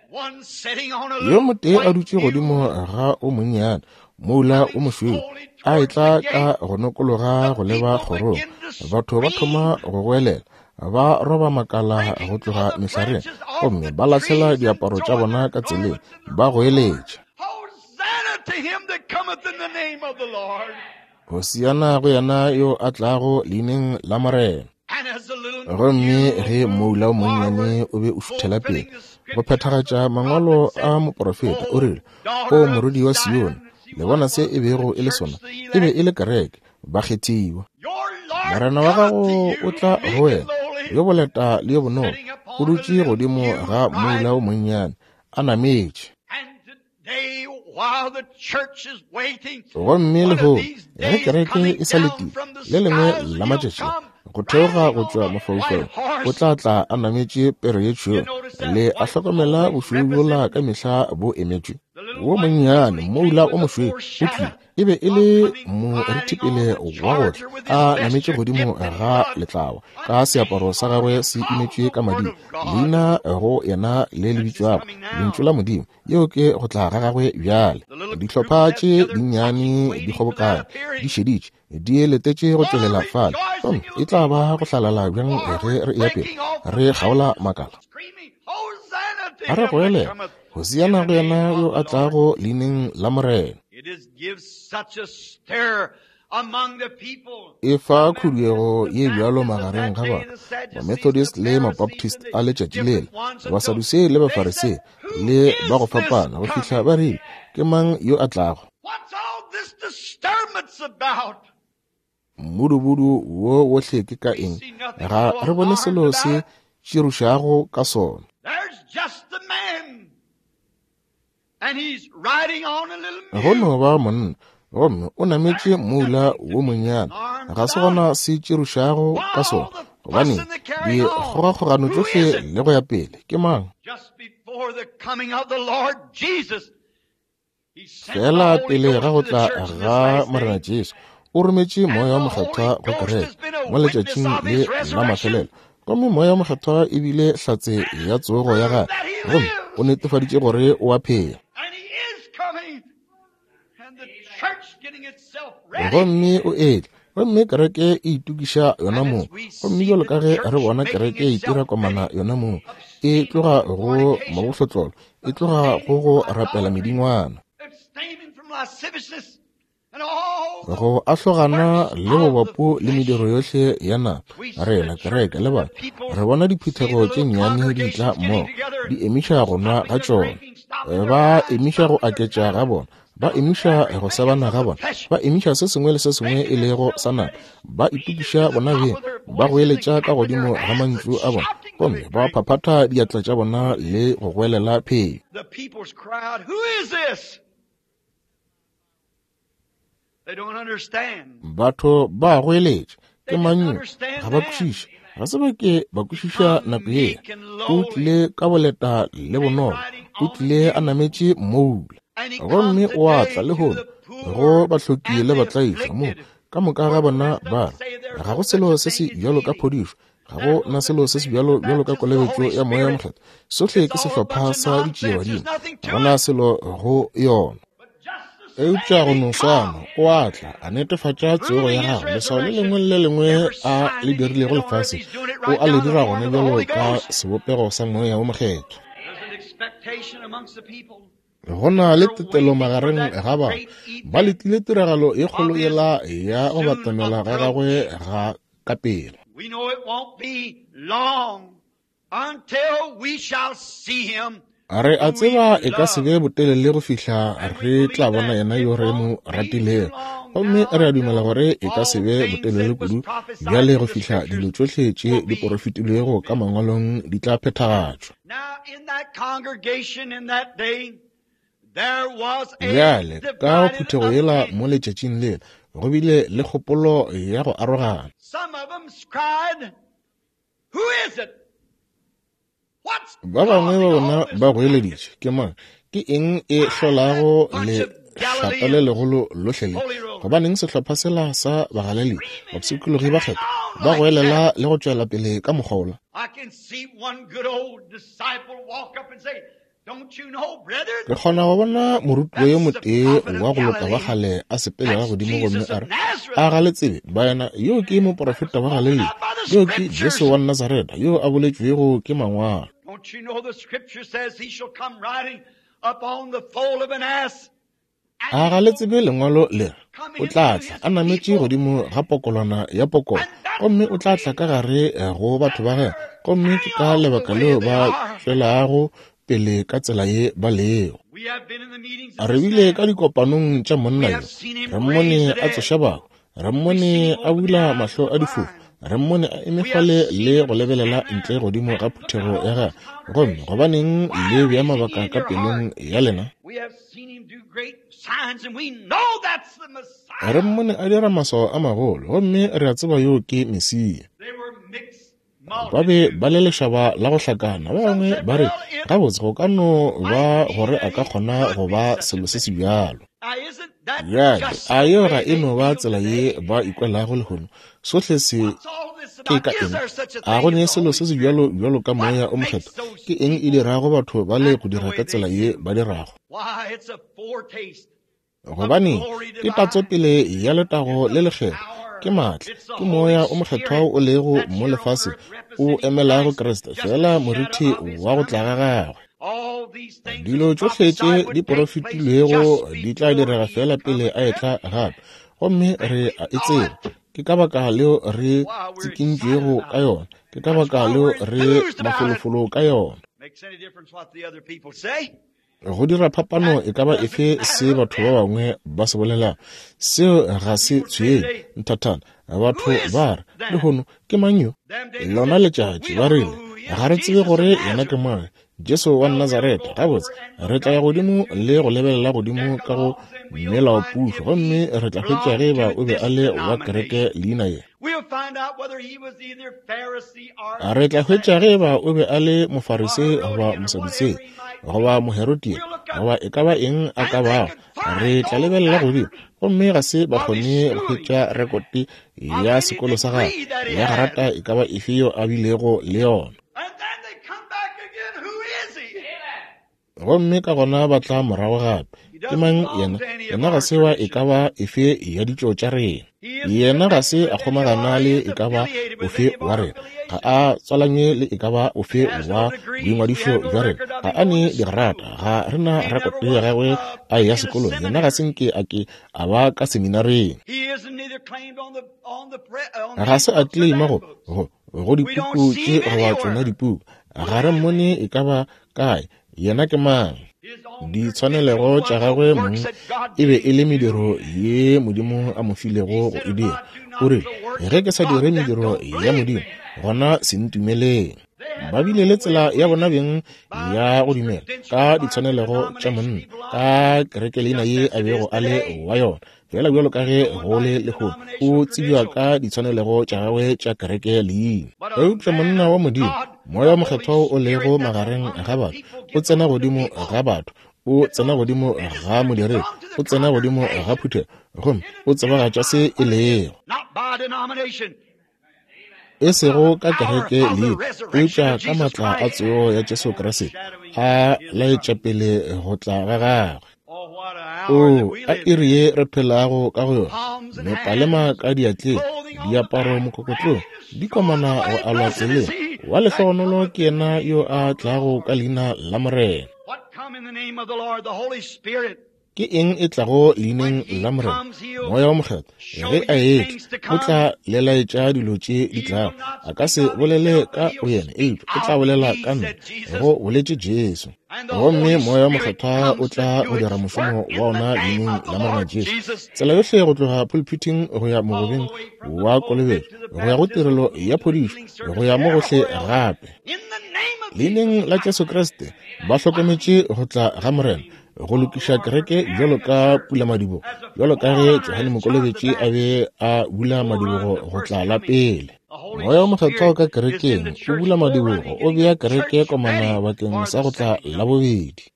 Yo motee a dutše godimo ga o monnyane, moula o mošweu, a etla ka go nokologa go leba kgorong. Batho ba thoma go goelela, ba roba makala go tloga mehlareng, gomme ba lahlela diaparo tša bona ka tseleng, ba goeletša. Hosiana go yena yo a tlago leineng la Morena. Gomme ge moula o monnyane o be o šuthela pele go phethagatša mangwalo a moporofeta, o rile, O morwedi wa Sione, le bona se e bego e le sona? E be e le kereke, bakgethiwa. Morena wa gago o tla go wena, yo boleta le yo bonolo, o dutše godimo ga moula o monnyane, a nametše. Gomme lehono, ge kereke e sa letile, le lengwe la matšatši go theoga go tšwa mafaufaung o tla tla a nametše pere ye tšhweu. Le a hlokomela bošweu bjola ka mehla bo emetšwe. Wo monnyane moula o mošweu o tlile, e be e le morithipele wa go tla a nametše godimo ga letlawa, ka seaparo sa gagwe se inetšwe ka mading, leina go yena le le bitšwago Lentšu la Modimo. Yeo ke go tla ga gagwe bjale. Dihlopha tše dinnyane di kgobokane, di šeditše, di letetše go tšwelela fale. Gomme e tla ba go hlalala bjang ge re eya pele re kgaola makala, a re goelela, Hosiana go yena yo a tlago leineng la Morena. E fa khuduego ye bjalo magareng ga batho, Mamethodist le Mabaptist a letšatši lela, Basadusei le Bafarisei, le ba go fapana, go fihla ba rile, Ke mang yo a tlago? Mmudubudu wo wohle ke ka eng? Ga re bone selo se tširošago ka sona. Go no ba monna, gomme o nametše moula wo monnyane. Ga se gona se tširošago ka sona, gobane dikgogakgogano tšohle le go ya pele. Ke mang? Feela pele ga go tla ga Morena Jesu, o rometše Moya wo Mokgethwa go kereke mo letšatšing le la mafelelo. Gomme Moya wo Mokgethwa e bile hlatse ya tsogo ya gagwe, gomme o netefaditše gore o a phela. Gomme o etla, gomme kereke e itokiša yona mong. Gomme bjalo ka ge re bona kereke e itira komana yona mong, e tloga go mabohlotlolo, e tloga go go rapela medingwana. Go ahlogana le bobapu le mediro yohle ya nama, rena kereke le batho re bona diphuthego tše nnyane di tla mmogo, di emiša go nwa ga tšona, ba emiša go aketša ga bona, ba emiša go sebana ga bona, ba emiša se sengwe le se sengwe e lego sa nama, ba itokiša bona beng, ba goeletša ka godimo ga mantšu a bona, gomme ba phaphatha diatla tša bona le go goelela phenyo. Batho ba goeletša, ke mang yo? Ga ba kwešiše. Ga se ba ke ba kwešiša nako yela. O tlile ka boleta le bonolo. O tlile a nametše mmoula. Gomme o a tla lehono go bahloki le batlaišwa mo ka moka ga bona ba re ga go selo se se bjalo ka phodišo, ga go na selo se se bjalo bjalo ka kolobetšo ya Moya wo Mokgethwa. Sohle ke sehlopha sa ditšiebadimo, ga go na selo go yona. Eupša go no swana, o a tla, a netefatša tsogo ya gagwe. Leswao le lengwe le le lengwe a le dirilego lefaseng, o a le dira gona bjalo ka sebopego sa Moya wo Mokgethwa. Go na le tetelo magareng ga batho. Ba letile tiragalo ye kgolo yela ya go batamela ga gagwe ga ka pela. Re a tseba e ka se be botelele go fihla re tla bona yena yo re mo ratilego, gomme re a dumela gore e ka se be botelele kudu bjale go fihla dilo tšohle tše di porofetilwego ka Mangwalong di tla phethagatšwa. Bjale, ka go phuthego yela mo letšatšing lela, go bile le kgopolo ya go arogana. Ba bangwe ba bona ba goeleditše, Ke mang? Ke eng e hlolago lešata le legolo lohle le? Gobaneng sehlopha sela sa Bagalilea, bapshikologi ba kgethwa, ba goelela le go tšwela pele ka mokgwa wola? Ke kgona go bona morutiwa yo motee wa go loka wa kgale a sepelela godimo gomme a re, A ga le tsebe, baena, yo ke moprofeta wa Galilea, yo ke Jesu wa Nazareta, yo a boletšwego ke Mangwalo. A ga le tsebe Lengwalo le re, O tla tla a nametše godimo ga pokolwana ya pokolo, gomme o tla tla ka gare go batho ba gagwe, gomme ke ka lebaka leo ba tšwelago pele ka tsela ye ba lego. Re bile ka dikopanong tša monna yo, re mmone a tsoša bahu, Re mmone a bula mahlo a difofu. Re mmone a eme fale le go lebelela ntle godimo ga phuthego ya gagwe. Gomme gobaneng le bea mabaka ka pelong ya lena? Re mmone a dira maswao a magolo, gomme re a tseba yoo ke Mesia. Ba be ba le lešaba la go hlakana. Ba bangwe ba re, Gabotse, go ka no ba gore a ka kgona go ba selo se se bjalo. Bjale, a yeo ga e no ba tsela ye ba ikwelago lehono? Sohle se ke ka eng? A go ne selo se se bjalo bjalo ka Moya o Mokgethwa? Ke eng e dirago batho ba le go dira ka tsela ye ba dirago? Gobane ke tatsopele ya letago le lekgethwa, ke maatla, ke Moya o Mokgethwa o lego mo lefaseng, o emelago Kriste, feela morithi wa go tla ga gagwe. Dilo tšohle tše di porofetilwego di tla direga feela pele a etla gape, gomme re a e tseba. Ke ka baka leo re tsikintšwego ka yona, ke ka baka leo re mafolofolo ka yona. Go dira phapano e ka ba efe se batho ba bangwe ba se bolelago, seo ga se tshwenye nthathana. Batho ba re, Lehono, ke mang yo? Lona letšatši, ba rile, ga re tsebe gore yena ke mang, Jesu wa Nazareta. Gabotse, re tla ya godimo le go lebelela godimo ka go melaopušo, gomme re tla hwetša ge eba o be a le wa kereke leina ye. Re tla hwetša ge eba o be a le Mofarisei goba Mosadutsei goba Moherodia goba e ka ba eng a ka bago. Re tla lebelela godimo, gomme ga se ba kgone go hwetša rekote ya sekolo sa gagwe ya garata e ka ba efe yeo a bilego le yona. Gomme ka gona ba tla morago gape. Ke mang yena? Yena ga se wa e ka ba efe ya ditšo tša rena. Yena ga se a kgomagana le e ka ba ofe wa rena. Ga a tswalanywe le e ka ba ofe wa boingwadišo bja rena. Ga a ne digrata. Ga re na rekoto ya gagwe a eya sekolong. Yena ga se nke a ke a ba ka seminareng. Ga se a claima go, go, go dipuku tše goba tšona dipuku. Ga re mmone e ka ba kae. Yena ke mang? Ditshwanelego tša gagwe mong e be e le mediro ye Modimo a mo filego go e dira. O rile, Ge ke sa dire mediro ya Modimo, gona se ntumeleng. Ba bile le tsela ya bona beng ya go dumela ka ditshwanelego tša monna, ka kerekeleina ye a bego a le wa yona. Feela bjalo ka ge go le lehono, o tsebja ka ditshwanelego tša gagwe tša kereke leina. Eupša monna wa Modimo, Moya wo Mokgethwa wo o lego magareng ga batho, o tsena godimo ga batho, o tsena godimo ga modiredi, o tsena godimo ga phuthego, gomme o tsebagatša se e lego. E sego ka kereke leina, eupša ka maatla a tsogo ya Jesu Kriste, a laetša pele go tla ga gagwe. Oo, a iri ye re phelago ka go yona! Mepalema ka diatleng, diaparo mokokotlong, di komana go alwa tseleng. Wa lehlogonolo ke yena yo a tlago ka leina la Morena. Ke eng e tlago leineng la Morena? Moya wo Mokgethwa. Ge a etla, o tla le laetša dilo tše di tlago. A ka se bolele ka boyena, eupša o tla bolela ka nna, go boletše Jesu. Gomme Moya wo Mokgethwa o tla go dira mošomo wa ona leineng la Morena Jesu. Tsela yohle go tloga pulpithing go ya mogobeng wa kolobetšo, go ya go tirelo ya phodišo, go ya mo gohle gape. Leineng la Jesu Kriste, ba hlokometše go tla ga Morena, go lokiša kereke bjalo ka pulamadibogo, bjalo ka ge Johane Mokolobetši a be a bula madibogo go tla la pele. Moya wo Mokgethwa o ka kerekeng, o bula madibogo, o bea kereke komana bakeng sa go tla la bobedi.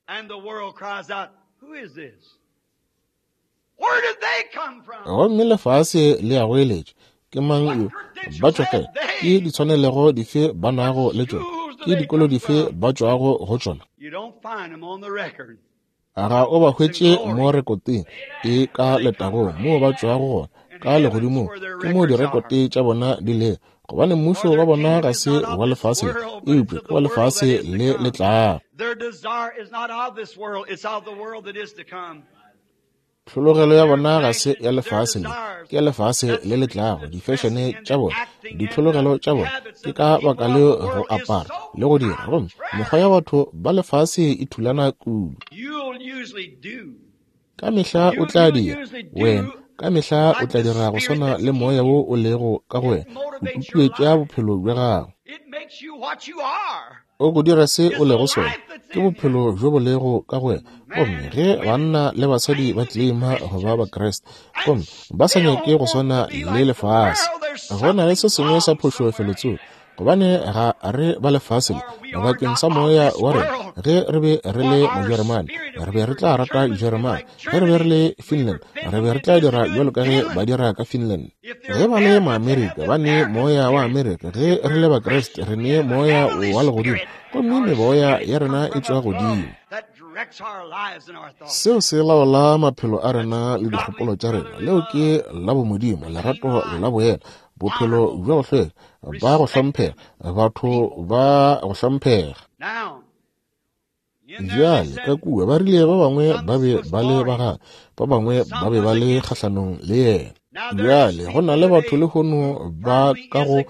Gomme lefase le a goeletša, Ke mang yo? Ba tšwa kae? Ke ditshwanelego dife ba nago le tšona? Ke dikolo dife ba tšwago go tšona? Ga o ba hwetše mo rekoteng e ka letagong moo ba tšwago gona, ka legodimong ke moo direkote tša bona di lego, gobane mmušo wa bona ga se wa lefase le, eupša ke wa lefase le le tlago. Tlhologelo ya bona ga se ya lefase le, ke ya lefase le le tlago. Difešene tša bona, ditlhologelo tša bona, ke ka baka leo go apara le go dira. Gomme mekgwa ya batho ba lefase e thulana kudu. Ka mehla o tla dira, wena, ka mehla o tla dira go swana le moya wo o lego ka go wena, o tutuetša bophelo bja gago. O go dira se o lego sona. Ke bophelo bjo bo lego ka go wena. Gomme ge banna le basadi ba tleleima go ba Bakriste, gomme ba sa nyake go swana le lefase, go na le se sengwe sa phošo felotsoko, gobane ga re ba lefase le. Bakeng sa moya wa rena, ge re be re le Mojeremane, re be re tla rata Jeremane. Ge re be re le Finland, re be re tla dira bjalo ka ge ba dira ka Finland. Ge ba le Maamerika, ba ne moya wa Amerika. Ge re le Bakriste, re ne moya wa legodimo, gomme meboya ya rena e tšwa godimo. Seo se laola maphelo a rena le dikgopolo tša rena. Leo ke la bomodimo, lerato la boela, bophelo bja go hlweka, ba go hlomphega, batho ba go hlomphega. Bjale, ka kua ba rile ba bangwe ba be ba le ba gagwe, ba bangwe ba be ba le kgahlanong le yena. Bjale, go na le batho lehono ba ka go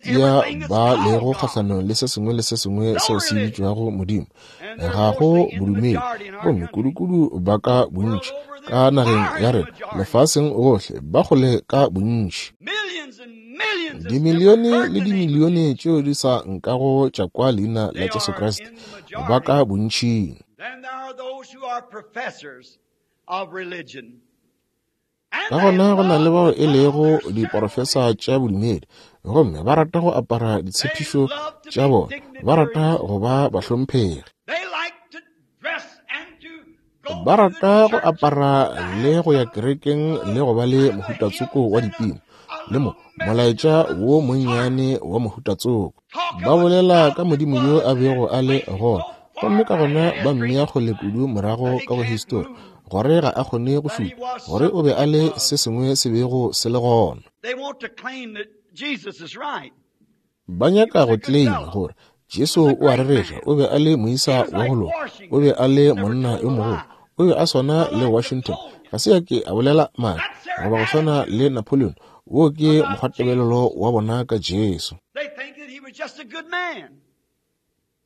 tia ba lego kgahlanong le se sengwe le se sengwe seo se bitšwago Modimo. Ga go bodumedi, gomme kudukudu ba ka bontši ka nageng ya rena, lefaseng gohle, ba kgole ka bontši. Dimilione le dimilione tšeo di sa nkago tša kwa leina la Jesu Kriste ba ka bontšing. Ka gona go na le bao e lego diporofesa tša bodumedi gomme ba rata go apara ditshepišo tša bona, ba rata go ba bahlomphegi. Ba rata go apara le go ya kerekeng le go ba le mohutatsoko wa dipina le mo molaetša wo monnyane wa mohutatsoko. Ba bolela ka Modimo yo a bego a le gona. Gomme ka gona ba mmea kgole kudu morago ka go histori, gore ga a kgone go šupa, gore o be a le se sengwe se bego se le gona. Ba nyaka go tleleima gore Jesu o a rereša, o be a le moisa wa go loka, o be a le monna yo mogolo, o be a swana le Washington, ga se a ke a bolela maaka, goba go swana le Napoleon. Wo ke mokgwatebelelo wa bona ka Jesu.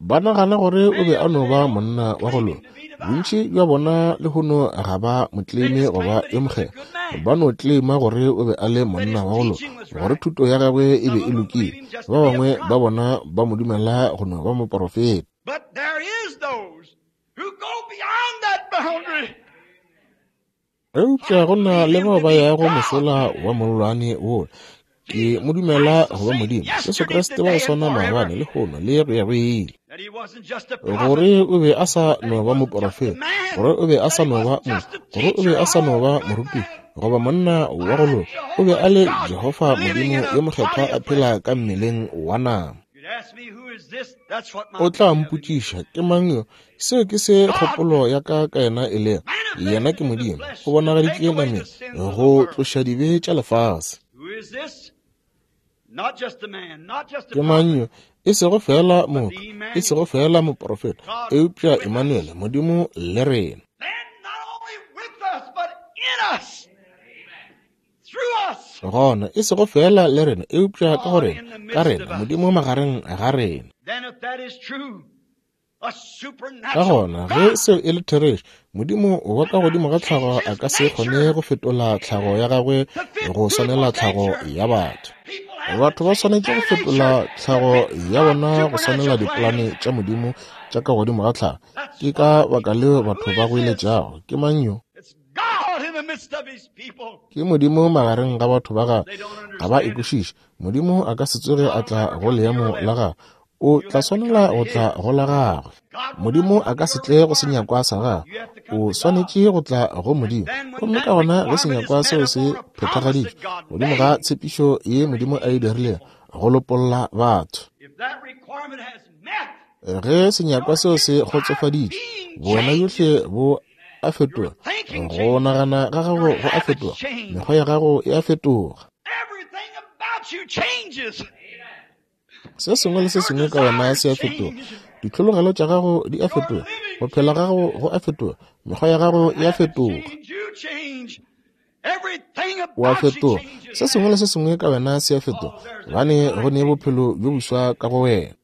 Ba nagana gore o be a no ba monna wa go loka. Bontši bja bona lehono ga ba mo tleleime go ba yo mokgethwa. Ba no tleleima gore o be a le monna wa go loka, gore thuto ya gagwe e be e lokile. Ba bangwe ba bona ba mo dumela go no ba moporofeta. Eupša go na le bao ba yago mošola wa mollwane wola. Ke mo dumela go ba Modimo, Jesu Kriste wa go swana maabane, lehono, le go ya go ile. Gore o be a sa no ba moporofeta, gore o be a sa no ba motho, gore o be a sa no ba moruti goba monna wa go loka, o be a le Jehofa Modimo yo mokgethwa a phela ka mmeleng wa nama. O tla mpotšiša, ke mang yo? Seo ke se kgopolo ya ka ka yena e lego. Yena ke Modimo, o bonagaditšwe nameng go tloša dibe tša lefase. Ke mang yo? E sego feela motho, e sego feela moprofeta, eupša Emmanuel, Modimo le rena. Gona, e sego feela le rena, eupša ka go rena, ka rena, Modimo magareng ga rena. Ka gona, ge seo e le therešo, Modimo wa ka godimo ga tlhago a ka se kgone go fetola tlhago ya gagwe go swanela tlhago ya batho. Batho ba swanetše go fetola tlhago ya bona go swanela dipolane tša Modimo tša ka godimo ga tlhago. Ke ka baka leo batho ba goeletšago, Ke mang yo? Ke Modimo magareng ga batho ba gagwe. Ga ba e kwešiše. Modimo a ka se tsoge a tla go leemo la gagwe. O tla swanela go tla go la gagwe. Modimo a ka se tle go senyakwa sa gagwe. O swanetše go tla go Modimo. Gomme ka gona ge senyakwa seo se phethagaditšwe godimo ga tshepišo ye Modimo a e dirilego go lopolla batho. Ge senyakwa seo se kgotsofaditšwe, bowena bjohle bo a fetoga, go nagana ga gago go a fetoga, mekgwa ya gago e a fetoga. Se sengwe le se sengwe ka wena se a fetoga. Ditlhologelo tša gago di a fetoga, go phela gago go a fetoga, mekgwa ya gago e a fetoga. O a fetoga. Se sengwe le se sengwe ka wena se a fetoga, gobane go ne bophelo bjo boswa ka go wena.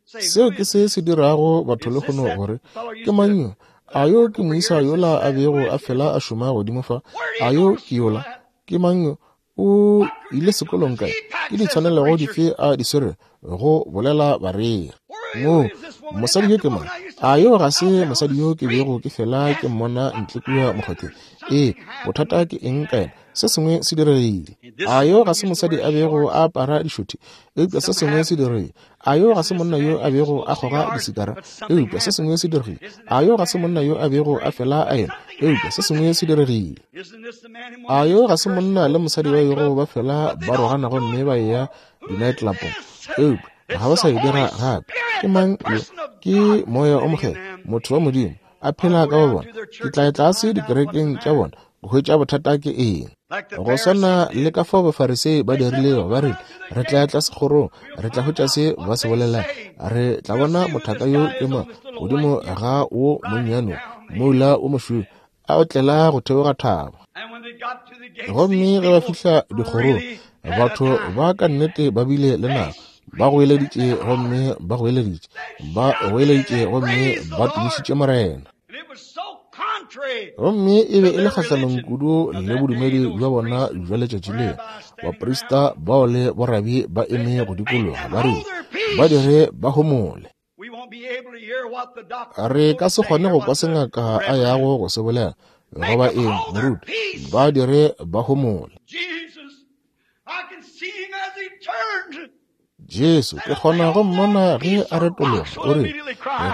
Seo ke se se dirago batho lehono gore, Ke mang yo? A yo ke moisa yola a bego a fela a šoma godimo fa? A yo ke yola? Ke mang yo? O ile sekolong kae? Ke ditshwanelego dife a di swere? Go bolela bareri. Moo, mosadi yo ke mang? A yo ga se mosadi yo ke bego ke fela ke mmona ntle kua mokgotheng? Ee, bothata ke eng ka yena? Se sengwe se diregile. A yo ga se mosadi a bego a apara dišothi? Eupša se sengwe se diregile. A yo ga se monna yo a bego a kgoga disikara? Eupša se sengwe se diregile. A yo ga se monna yo a bego a fela a ena? Eupša se sengwe se diregile. A yo ga se monna le mosadi ba bego ba fela ba rogana gomme ba eya di-nightclubong? Eupša ga ba sa e dira gape. Ke mang yo? Ke Moya o Mokgethwa, motho wa Modimo, a phela ka go bona. Ke tla ya tlase dikerekeng tša bona go hwetša bothata ke eng. Go swana le ka fao Bafarisei ba dirilego, ba rile, Re tla ya tlase kgorong, re tla hwetša se ba se bolelang. Re tla bona mothaka yo ke mang godimo ga wo monnyane wo, moula wo mošweu, a otlela go theoga thaba. Gomme ge ba fihla dikgorong, batho ba ka nnete ba bile le nako. Ba goeleditše gomme ba goeleditše, ba goeleditše gomme ba tumišitše Morena. Gomme e be e le kgahlanong kudu le bodumedi bja bona bja letšatši leo. Baprista bao le borabi ba eme go dikologa, ba rile, Ba dire ba homole. Re ka se kgone go kwa se ngaka a yago go se bolela, goba eng, moruti. Ba dire ba homole. Jesu, ke kgona go mmona ge a retologa, o re,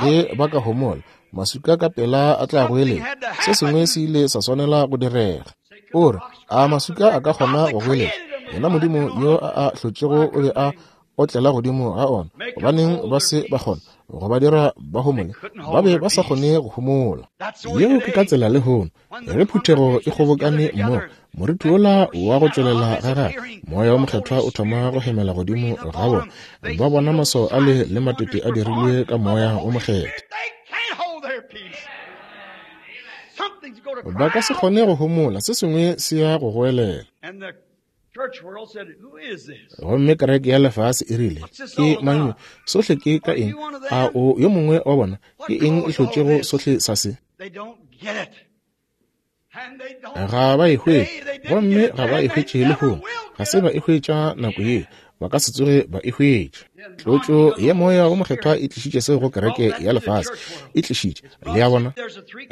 ge ba ka homola, maswika ka pela a tla goeletša. Se sengwe se ile sa swanela go direga. O re, a maswika a ka kgona go goeletša? Yena Modimo yo a a hlotšego o be a otlela godimo ga ona. Gobaneng ba se ba kgona? go ba dira ba homole. Ba be ba sa kgone go homola. Yeo ke ka tsela lehono. Ge phuthego e kgobokane mmogo, moriti wola wa go tšwelela ga gagwe, Moya wo Mokgethwa o thoma go hemela godimo ga bona. Ba bona maswao ale le matete a dirilwe ka Moya wo Mokgethwa. Ba ka se kgone go homola, se sengwe se ya go goelela. Gomme kereke ya lefase e rile, Ke mang yo? Sohle ke ka eng? A o yo mongwe wa bona? Ke eng e hlotšego sohle sa se? Ga ba e hwetše, gomme ga ba e hwetše lehono. Ga se ba e hwetša nako ye, ba ka se tsoge ba e hwetša. Tlotšo ya Moya wo Mokgethwa e tlišitše seo go kereke ya lefase. E tlišitše, le a bona,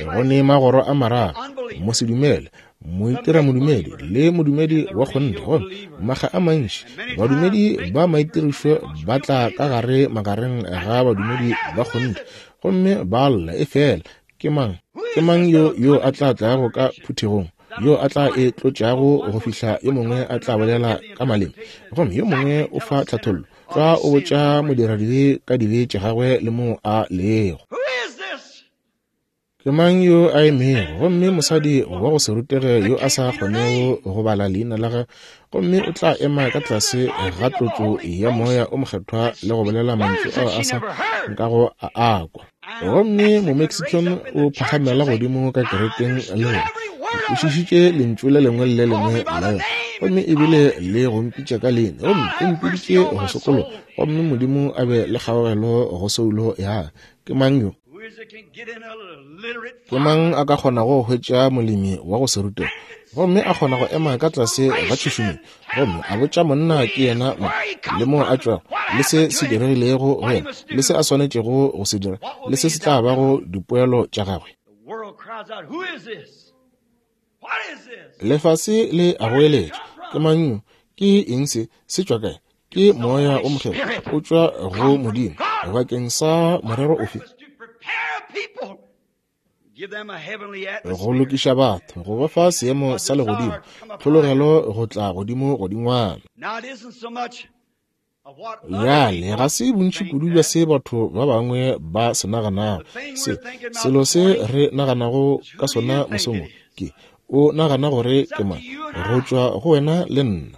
go ne magoro a mararo, mosedumele, moitiramodumedi le modumedi wa kgonthe. Gomme makga a mantši badumedi ba maitirišo ba tla ka gare magareng ga badumedi ba kgonthe gomme ba lla, efela ke mang, ke mang yo yo a tla tlago ka phuthegong, yo a tla e tlotšago go fihla yo mongwe a tla bolela ka maleme, gomme yo mongwe o fa tlhathollo, tlwa o botša modiradibe ka dibe tša gagwe le moo a lego. Ke mang yo a emego? Gomme mosadi wa go se rutege yo a sa kgonego go bala leina la gagwe, gomme o tla ema ka tlase ga tlotšo ya Moya o Mokgethwa le go bolela mantšu ao a sa nkago a akwa. Gomme Momexican o phagamela godimo ka kerekeng le gore o kwešišitše lentšu le lengwe le le lengwe la yona, gomme ebile le go mpitša ka leina, gomme o mpiditše go sokologa, gomme Modimo a be le kgaogelo go soulo ya ka. Ke mang yo? Ke mang a ka kgonago go hwetša molemi wa go se rutege gomme a kgona go ema ka tlase ga tšhušumetšo gomme a botša monna ke yena mang le moo a tšwago le se se diregilego go yena le se a swanetšego go se dira le se se tla bago dipoelo tša gagwe? Lefase le a goeletša, Ke mang yo? Ke eng se? Se tšwa kae? Ke Moya o Mokgethwa, o tšwa go Modimo. Bakeng sa morero ofe? Go lokiša batho, go ba fa seemo sa legodimo, tlhologelo go tla godimo godingwana. Bjale, ga se bontši kudu bja se batho ba bangwe ba se naganago. Se, selo se re naganago ka sona mosong wo, ke, o nagana gore ke mang, go tšwa go wena le nna.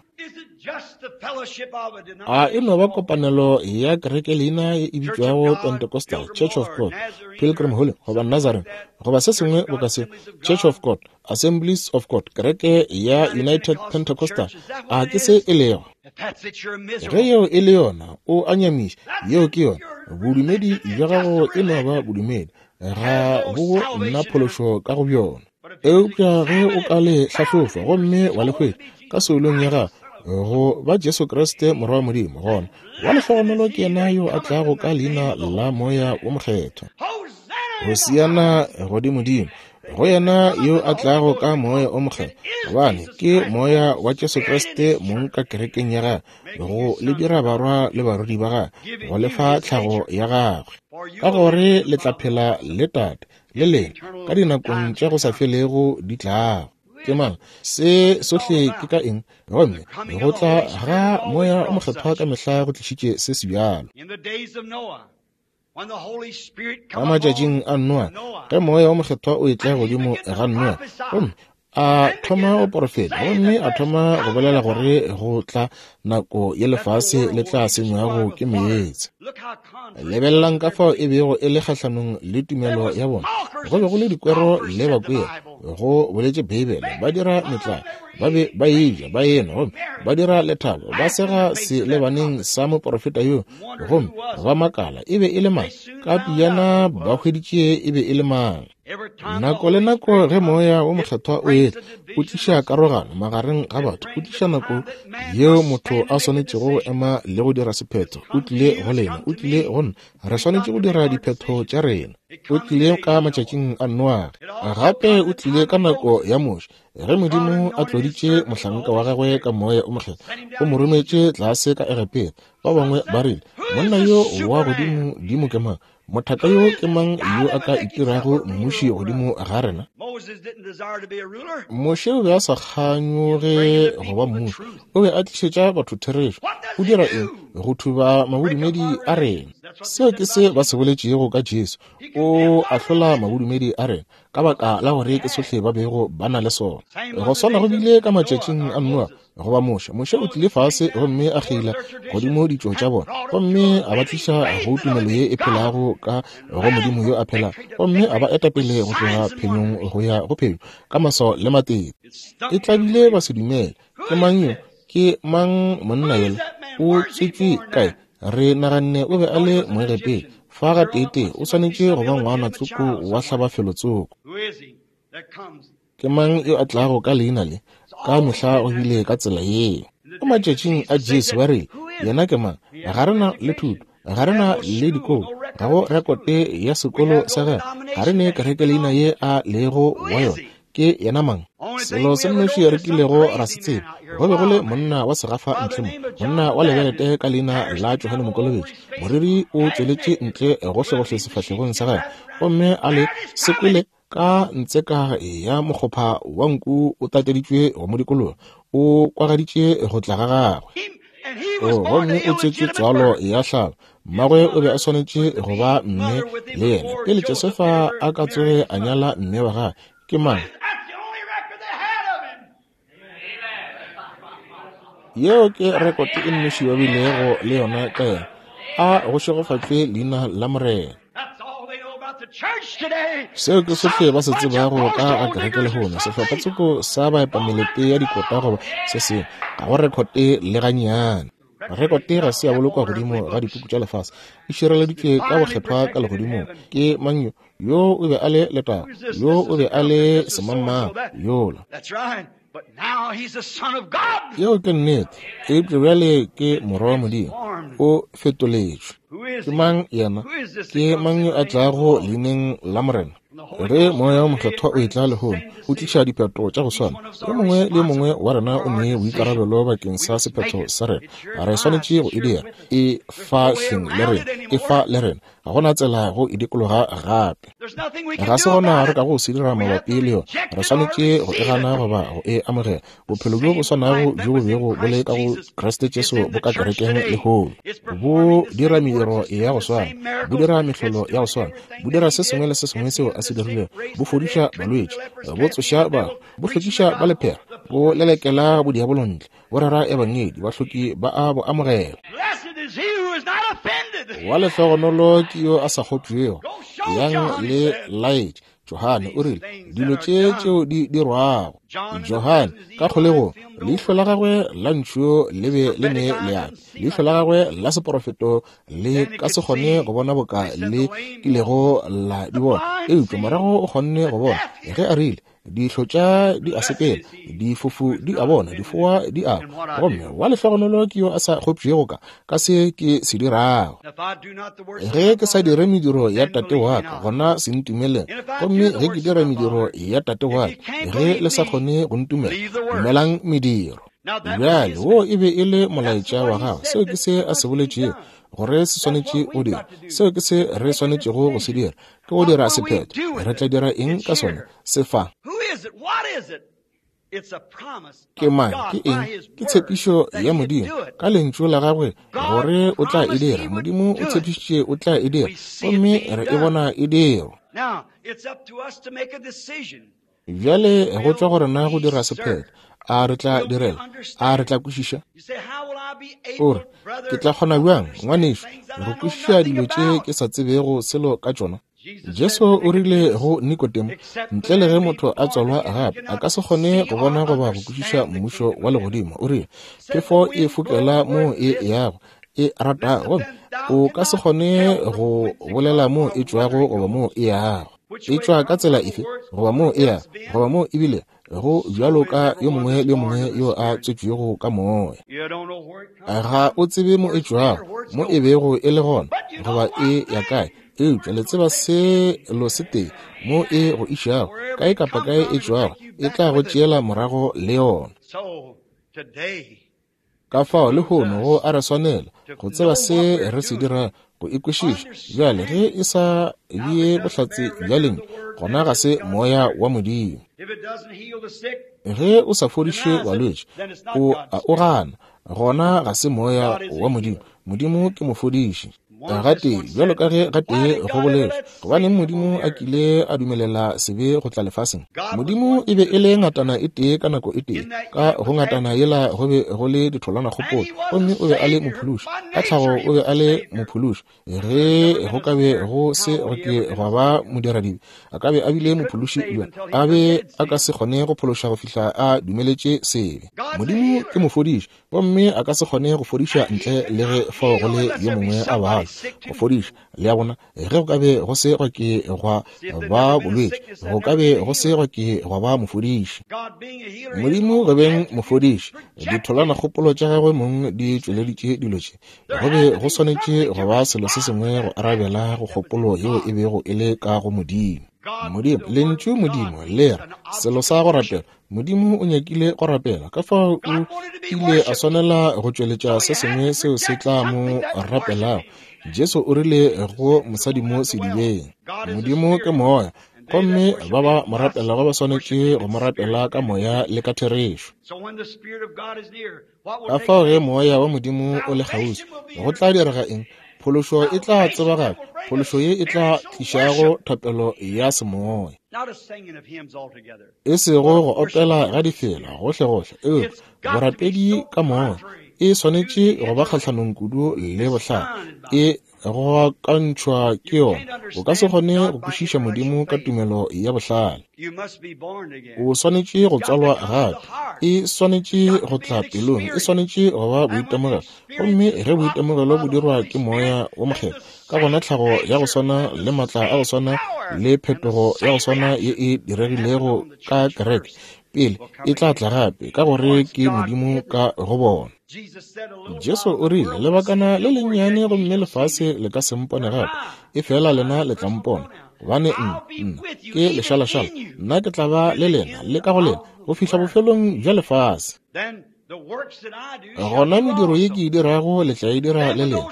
A e no ba kopanelo ya kerekeleina ye e bitšwago Pentecostal, Church of God, Pilgrim Holy, goba Nazarene, goba se sengwe boka se, Church of God, Assemblies of God, kereke ya United Pentecostal? A ke se e lego? Ge yeo e le yona, o a nyamiša. Yeo ke yona. Bodumedi bja gago e no ba bodumedi, ga bo nna phološo ka go bjona. Eupša ge o ka le hlahlofa gomme wa le hwetša ka soulong ya gago go ba Jesu Kriste Morwa wa Modimo, gona wa lehlogonolo ke yena yo a tlago ka leina la Moya wo Mokgethwa. Hosiana godimodimo go yena yo a tlago ka Moya o Mokgethwa, gobane ke Moya wa Jesu Kriste mong ka kerekeng ya gagwe, go le dira barwa le barwedi ba gagwe, go le fa tlhago ya gagwe, ka gore le tla phela le Tate le lena ka dinakong tša go sa felego di tlago. Ke mang? Se sohle ke ka eng? Gomme go tla ga Moya o Mokgethwa ka mehla go tlišitše se se bjalo. Ka matšatšing a Noa, ge Moya o Mokgethwa o etla godimo ga Noa, gomme a thoma go porofeta, gomme a thoma go bolela gore go tla nako ye lefase le tla senywago ke meetse. Lebelelang ka fao e bego e le kgahlanong le tumelo ya bona. Go be go le dikwero le bakweri, go boletše Beibele, ba dira metlae, ba be ba eja, ba enwa, gomme ba dira lethabo, ba sega selebaneng sa moporofeta yo, gomme ba makala e be e le mang. Ka pejana ba hweditše e be e le mang. Nako le nako ge Moya wo Mokgethwa o etla, o tliša karogano magareng ga batho, o tliša nako yeo motho a swanetšego go ema le go dira sephetho. O tlile go lena, o tlile go nna. Re swanetše go dira diphetho tša rena. O tlile ka matšatšing a Noage, gape o tlile ka nako ya Moshe. Ge Modimo a tloditše mohlanka wa gagwe ka Moya o Mokgethwa, o mo rometše tlase ka Egepeta. Ba bangwe ba rile, Monna yo wa godimo dimo ke mang? Mothaka yo ke mang yo a ka itirago mmuši godimo ga rena? Moshe o be a sa kganyoge go ba mmuši. O be a tlišetša batho therešo. O dira eng? Go thuba mabodumedi a rena. Seo ke se ba se boletšego ka Jesu. O ahlola mabodumedi a rena ka baka la gore ke sohle ba bego ba na le sona. Go swana go bile ka matšatšing a Noa goba Moshe. Moshe o tlile fase gomme a kgeila godimo ditšo tša bona, gomme a ba tliša go tumelo ye e phelago ka go Modimo yo a phelago, gomme a ba eta pele go tloga phenyong go ya go phenyo ka maswao le matete. E tlabile ba se dumele. Ke mang yo? Ke mang monna yola? O tswetšwe kae? Re naganne o be a le Moegepeta. Fa gateetee o swanetše go ba ngwana tsoko wa hlabafelo tsoko. Ke mang yo a tlago ka leina le? Ka mehla go bile ka tsela yeo. Mo matšatšing a Jesu ba rile, Yena ke mang? Ga re na le thuto, ga re na le dikolo, ga go rekote ya sekolo sa gagwe, ga re ne kereke leina ye a lego wa yona. Ke yena mang? Selo se nnoši re kilego ra se tseba, go be go le monna wa segafa ntle mo, monna wa lebelete ka leina la Johane Mokolobetši. Moriri o tšweletše ntle gohlegohle sefahlegong sa gagwe, gomme a le se kwele ka ntseka ya mokgopha wa nku o tateditšwe go mo dikologa, o kwagaditše go tla ga gagwe. Gomme o tswetšwe tswalo ya hlalo. Mmagwe o be a swanetše go ba mme le yena pele Josefa a ka tsoge a nyala mme wa gagwe. Ke mang? Yeo ke rekote e nnoši ba bilego le yona ka yena. A go šegofatšwe leina la Morena. Seo ke sohle ba se tsebago ka ga kereke lehono, sehlophatsoko sa baepamelete ya dikota goba se sengwe. Ga go rekote le gannyane. Rekote ga se ya bolokwa godimo ga dipuku tša lefase, e šireleditšwe ka bokgethwa ka legodimong. Ke mang yo? Yo o be a le letago, yo o be a le semangmang, yola. Yeo ke nnete, eupša bjale ke Morwa wa Modimo, o fetoletšwe. Ke mang yena? Ke mang yo a tlago leineng la Morena? Ge Moya wo Mokgethwa o etla lehono, o tliša diphetho tša go swana. Yo mongwe le yo mongwe wa rena o ne boikarabelo bakeng sa sephetho sa rena. Re swanetše go e dira. E fa hleng le rena. E fa le rena. Ga go na tsela go e dikologa gape. Ga se gona re ka go se dira mabapi le yona. Re swanetše go e gana goba go e amogela. Bophelo bjo bo swanago bjo bo bego bo le ka go Kriste Jesu bo ka kerekeng lehono. Bo dira mediro ya go swana, bo dira mehlolo ya go swana, bo dira se sengwe le se sengwe seo a se dirilego, bo fodiša balwetši, bo tsoša bahu, bo hlwekiša ba lephera, bo lelekela bodiabolo ntle, bo rera ebangedi, bahloki ba a bo amogela. Wa lehlogonolo ke yo a sa kgopšwego. Yang le laetše. Johane o rile, dilo tše tšeo di dirwago. Johane, ka kgolegong, leihlo la gagwe la ntšhu le be le ne leape. Leihlo la gagwe la seporofeto le ka se kgone go bona boka le kilego la di bona, eupša morago o kgonne go bona ge a rile, Dihlo tša di a sepela, difofu di a bona, difoa di a kwa. Gomme wa lehlogonolo ke yo a sa kgopšego ka, ka se ke se dirago. Ge ke sa dire mediro ya Tate wa ka, gona se ntumeleng. Gomme ge ke dira mediro ya Tate wa ka, ge le sa kgone go ntumela, dumelang mediro. Bjale, wo e be e le molaetša wa gagwe. Seo ke se a se boletšego gore se swanetše go dira. Seo ke se re swanetšego go se dira, ke go dira sephetho. Re tla dira eng ka sona? Se fa. Ke mang? Ke eng? Ke tshepišo ya Modimo ka Lentšu la Gagwe gore o tla e dira. Modimo o tshepišitše o tla e dira, gomme re e bona e dirwa. Bjale go tšwa go rena go dira sephetho. A re tla direla? A re tla kwešiša? O re, Ke tla kgona bjang, ngwanešu, go kwešiša dilo tše ke sa tsebego selo ka tšona? Jesu o rile go Nikodemo, ntle le ge motho a tswalwa gape, a ka se kgone go bona goba go kwešiša mmušo wa legodimo. O rile, phefo e fokela moo e yago, e ratago, gomme o ka se kgone go bolela moo e tšwago goba moo e yago. E tšwa ka tsela efe, goba moo e yago, goba moo ebile go bjalo ka yo mongwe le yo mongwe yo a tswetšwego ka moya. Ga o tsebe mo e tšwago, mo e bego e le gona, goba e ya kae, eupša le tseba selo se tee, mo e go išago, kae kapa kae e tšwago, e tla go tšeela morago le yona. Ka fao lehono go a re swanela go tseba se re se dirago, go e kwešiša. Bjale ge e sa bee bohlatse bja Lentšu, gona ga se Moya wa Modimo. Ge o sa fodiše balwetši, o a o gana, gona ga se Moya wa Modimo. Modimo ke mofodiši. Gatee, bjalo ka ge gatee go boletšwe, gobaneng Modimo a kile a dumelela sebe go tla lefaseng? Modimo e be e le ngatana e tee ka nako e tee. Ka go ngatana yela go be go le ditholwanakgopolo, gomme o be a le mophološi. Ka tlhago o be a le mophološi. Ge go ka be go se go ke gwa ba modiradibe, a ka be a bile mophološi bjang? A be a ka se kgone go phološa go fihla a dumeletše sebe. Modimo ke mofodiši, gomme a ka se kgone go fodiša ntle le ge fao go le yo mongwe a babja go fodiša. Le a bona? Ge go ka be go se gwa ke gwa ba bolwetši, go ka be go se gwa ke gwa ba mofodiši. Modimo go beng mofodiši, ditholwanakgopolo tša gagwe mong di tšweleditše dilo tše. Go be go swanetše go ba selo se sengwe go arabela go kgopolo yeo e bego e le ka go Modimo. Modimo, Lentšu Modimo le re selo sa go rapela. Modimo o nyakile go rapela, ka fao o ile a swanela go tšweletša se sengwe seo se tla mo rapelago. Jesu o rile go mosadi mo sedibeng, Modimo ke moya, gomme ba ba mo rapelago ba swanetše go mo rapela ka moya le ka therešo. Ka fao ge moya wa Modimo o le kgauswi, go tla direga eng? Phološo e tla tsebagala, phološo ye e tla tlišago thapelo ya semoya. E sego go opela ga difela gohlegohle, eupša borapedi ka moya. E swanetše go ba kgahlanong kudu le bohlale. E go akantšhwa ke yona. O ka se kgone go kwešiša Modimo ka tumelo ya bohlale. O swanetše go tswalwa gape. E swanetše go tla pelong. E swanetše go ba boitemogelo. Gomme ge boitemogelo bo dirwa ke Moya wo Mokgethwa, ka gona tlhago ya go swana le maatla a go swana le phetogo ya go swana ye e diregilego ka kereke pele e tla tla gape, ka gore ke Modimo ka go bona. Jesu o rile, Lebakana le lennyane gomme lefase le ka se mpone gape, efela lena le tla mpona, gobane nna, nna ke lešalašala, nna ke tla ba le lena le ka go lena go fihla bofelong bja lefase. Gona mediro ye ke e dirago le tla e dira le lena.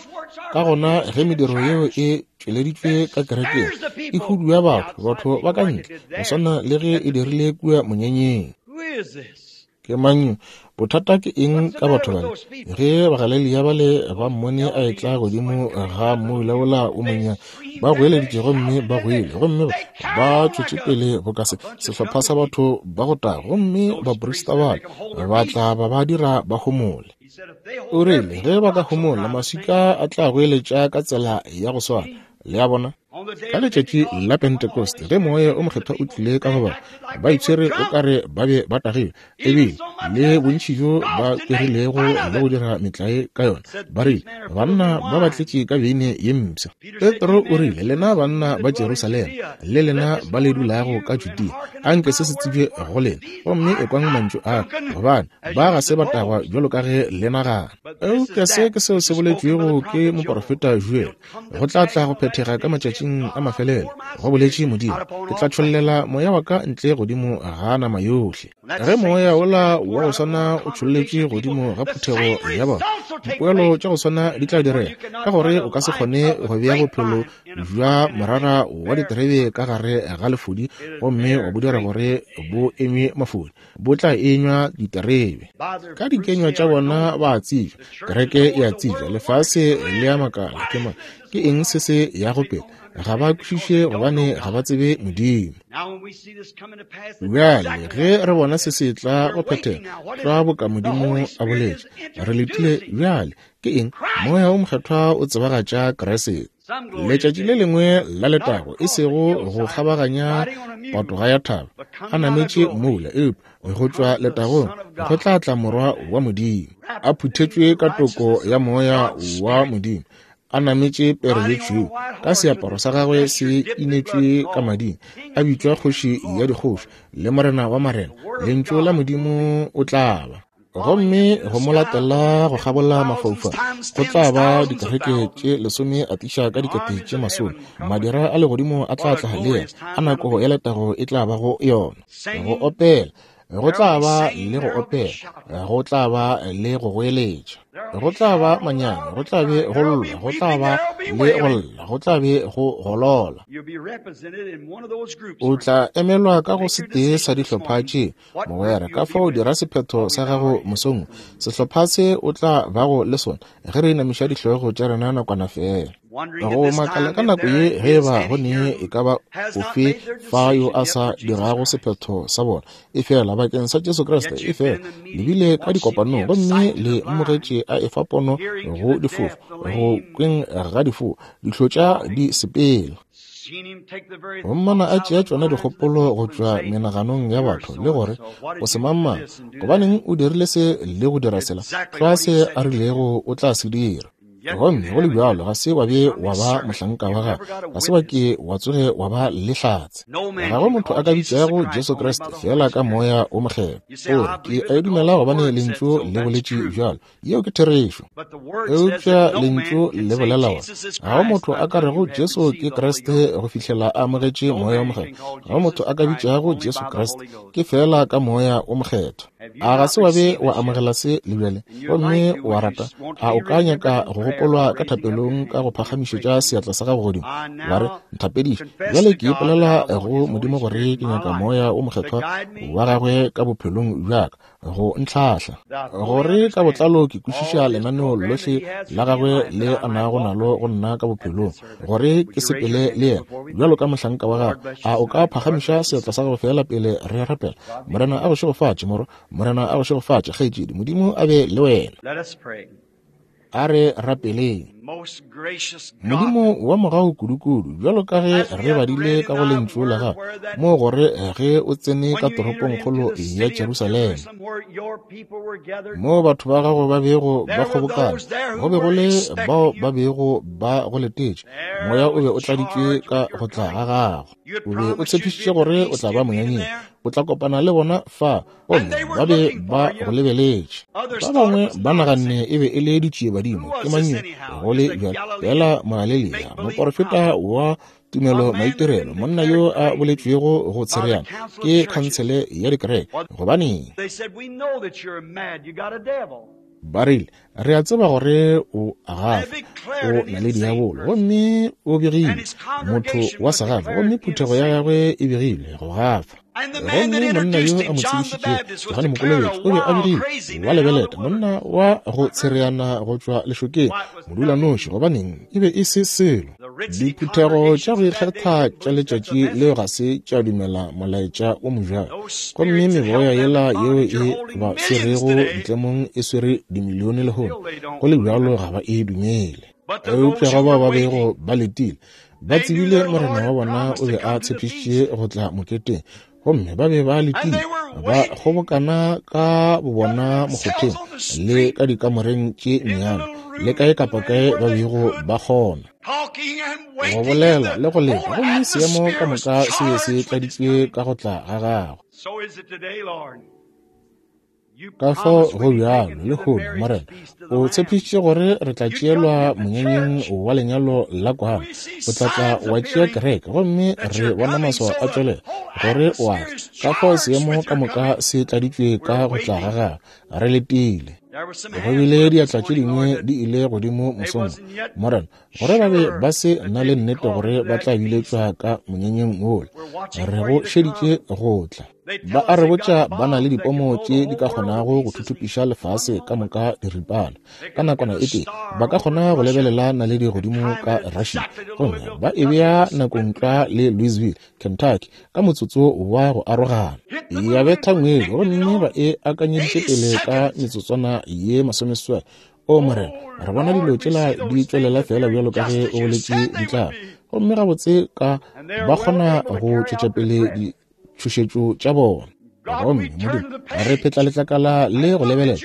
Ka gona ge mediro yeo e tšweleditšwe ka kerekeng, e hudua batho, batho ba ka ntle, go swana le ge e dirile kua monyanyeng. Ke mang yo? Bothata ke eng ka batho bale? Ge Bagalelia bale ba mmone a etla godimo ga mmoula wola o monnyane, ba goeleditše gomme ba goile, gomme ba tšwetše pele boka se, sehlopha sa batho ba go taga, gomme baprista bale ba tla ba ba dira ba homole. O rile, ge ba ka homola, maswika a tla goeletša ka tsela ya go swana. Le a bona? Ka letšatši la Pentekoste, ge Moya o Mokgethwa o tlile ka go bona, ba itshwere o ka re ba be ba tagilwe, ebile le bontši bjo ba kwerilego le go dira metlae ka yona, ba rile, Banna ba ba tletše ka beine ye mpsha. Petro o rile, Lena banna ba Jerusalema, le lena ba le dulago ka Judea, a nke se se tsebje go lena, gomme ekwang mantšu a ka, gobane ba ga se ba tagwa bjalo ka ge le nagana. Eupša se ke seo se boletšwego ke moporofeta Joel, Go tla tla go phethega ka matšatšing a mafelelo, go boletše Modimo, ke tla tšhollela moya wa ka ntle godimo ga nama yohle. Ge moya wola wa go swana o tšholletše godimo ga phuthego ya bona, dipoelo tša go swana di tla direga, ka gore o ka se kgone go bea bophelo bja morara wa diterebe ka gare ga lefodi gomme wa bo dira gore bo enywe mafodi. Bo tla enywa diterebe. Ka dikenywa tša bona ba a tsebja, kereke e a tsebja, lefase le a makala, ke mang, ke eng se se yago pele? Ga ba kwešiše gobane ga ba tsebe Modimo. Bjale ge re bona se se tla go phethega, tlwa boka Modimo a boletše, re letile bjale. Ke eng? Moya wo Mokgethwa o tsebagatša Kriste. Letšatši le lengwe la letago, e sego go kgabaganya patoga ya thaba, a nametše moula, eupša go tšwa letagong go tla tla Morwa wa Modimo, a phuthetšwe ka toko ya Moya wa Modimo, a nametše pere ye tšhweu, ka seaparo sa gagwe se inetšwe ka mading, a bitšwa Kgoši ya dikgoši le Morena wa marena. Lentšu la Modimo o tla ba. Gomme go mo latela go kgabola mafaufau go tla ba dikereke tše lesome a tliša ka dikete tše masome. Madira a legodimo a tla tla le yena, a nako ya letago e tla ba go yona. Go opela, go tla ba le go opela, go tla ba le go goeletša, go tla ba manyami, go tla be go lla, go tla ba le go lla, go tla be go golola. O tla emelwa ka go setee sa dihlopha tše Mogwera, ka fao dira sephetho sa gago mosong wo, sehlopha se o tla bago le sona, ge re inamiša dihlogo tša rena nakwana feela. Go makala ka nako ye ge e ba go ne e ka ba ofe fa yo a sa dirago sephetho sa bona, efela bakeng sa Jesu Kriste, efela le bile ka dikopanong gomme le mmogetše a efa pono go difofu, go kweng ga difofu, dihlotša di sepela. Go mmona a tšea tšona dikgopolo go tšwa menaganong ya batho le gore o se mang-mang, gobaneng o dirile se le go dira sela, tlwa se a rilego o tla se dira. Gomme go le bjalo ga se wa be wa ba mohlanka wa gagwe, ga se wa ke wa tsoge wa ba le hlatse. Ga go motho a ka bitšago Jesu Kriste feela ka Moya wo Mokgethwa. O re, Ke a e dumela gobane Lentšu le boletše bjalo. Yeo ke therešo. Eupša Lentšu le bolela gore ga go motho a ka rego Jesu ke Kriste go fihlela a amogetše Moya wo Mokgethwa. Ga go motho a ka bitšago Jesu Kriste, ke feela ka Moya wo Mokgethwa. A ga se wa be wa amogela se le bjale gomme wa rata? A o ka nyaka go gopolwa ka thapelong ka go phagamišetša seatla sa gago godimo, wa re, Nthapediše bjale, ke ipolela go Modimo gore ke nyaka Moya wo Mokgethwa wa gagwe ka bophelong bja ka go ntlhahla, gore ka botlalo ke kwešiša lenaneo lohle la gagwe le a nago nalo go nna ka bophelong, gore ke sepele le yena bjalo ka mohlanka wa gagwe. A o ka phagamiša seatla sa gago feela pele re rapela? Morena a go šegofatše, morwa. Morena a go šegofatše, kgaetšedi. Modimo a be le wena. A re rapeleng. Modimo wa mogau kudukudu, bjalo ka ge re badile ka go Lentšu la Gago, moo gore ge o tsene ka toropongkgolo ya Jerusalema, moo batho ba gago ba bego ba kgobokana, go be go le bao ba bego ba go letetše. Moya o be o tladitšwe ka go tla ga gago. O be o tshepišitše gore o tla ba monyanyeng, o tla kopana le bona fa, gomme ba be ba go lebeletše. Ba bangwe ba naganne e be e le ditšiebadimo. Ke mang yo go le bjalo? Feela Mogalilea, moporofeta wa tumelo maitirelo, monna yo a boletšwego go tshereana ke khansele ya dikereke. Gobaneng? Ba rile, Re a tseba gore o a gafa, o na le diabolo, gomme o begile motho wa segafa, gomme phuthego ya gagwe e begile go gafa. Gomme monna yo a mo tsebišitšego, Johane Mokolobetši, o be a begile wa lebeleta, monna wa go tshereana go tšwa lešokeng, modulanoši. Gobaneng, e be e se selo. Diphuthego tša go ikgetha tša letšatši leo ga se tša dumela molaetša o mobjalo, gomme meboya yela yeo e ba swerego ditlemong e swere dimilione lehono, go le bjalo ga ba e dumele. Eupša go bao ba bego ba letile, ba tsebile Morena wa bona o be a tshepišitše go tla moketeng, gomme ba be ba letile, ba kgobokana ka bobona mokgotheng le ka dikamoreng tše nnyane le kae kapa kae ba bego ba kgona go bolela le go leta, gomme seemo ka moka se be se tladitšwe ka go tla ga gagwe. Ka fao go bjalo lehono, Morena. O tshepišitše gore re tla tšeelwa monyanyeng wa lenyalo la kwana. O tla tla wa tšea kereke, gomme re bona maswao a tšwelela gore o a tla. Ka fao seemo ka moka se tladitšwe ka go tla ga gagwe. Re letile. Go bile diatla tše dingwe di ile godimo mosong, Morena, gore ba be ba se na le nnete gore ba tla biletšwa ka monyanyeng wola. Re go šeditše go tla. Ba a re botša ba na le dipomo tše di ka kgonago go thuthupiša lefase ka moka diripana ka nakwana e tee. Ba ka kgona go lebelela naledi godimo ka Russia gomme ba e bea nakong tlwa le Louisville, Kentucky ka motsotso wa go arogana. Ya betha ngwedi gomme ba e akanyeditše pele ka metsotswana ye masomeseswai. O Morena, re bona dilo tšela di tšwelela feela bjalo ka ge o boletše di tla. Gomme gabotse ka ba kgona go tšwetša pele ditšhošetšo tša bona. Gomme Modimo, re phetla letlakala le go lebelela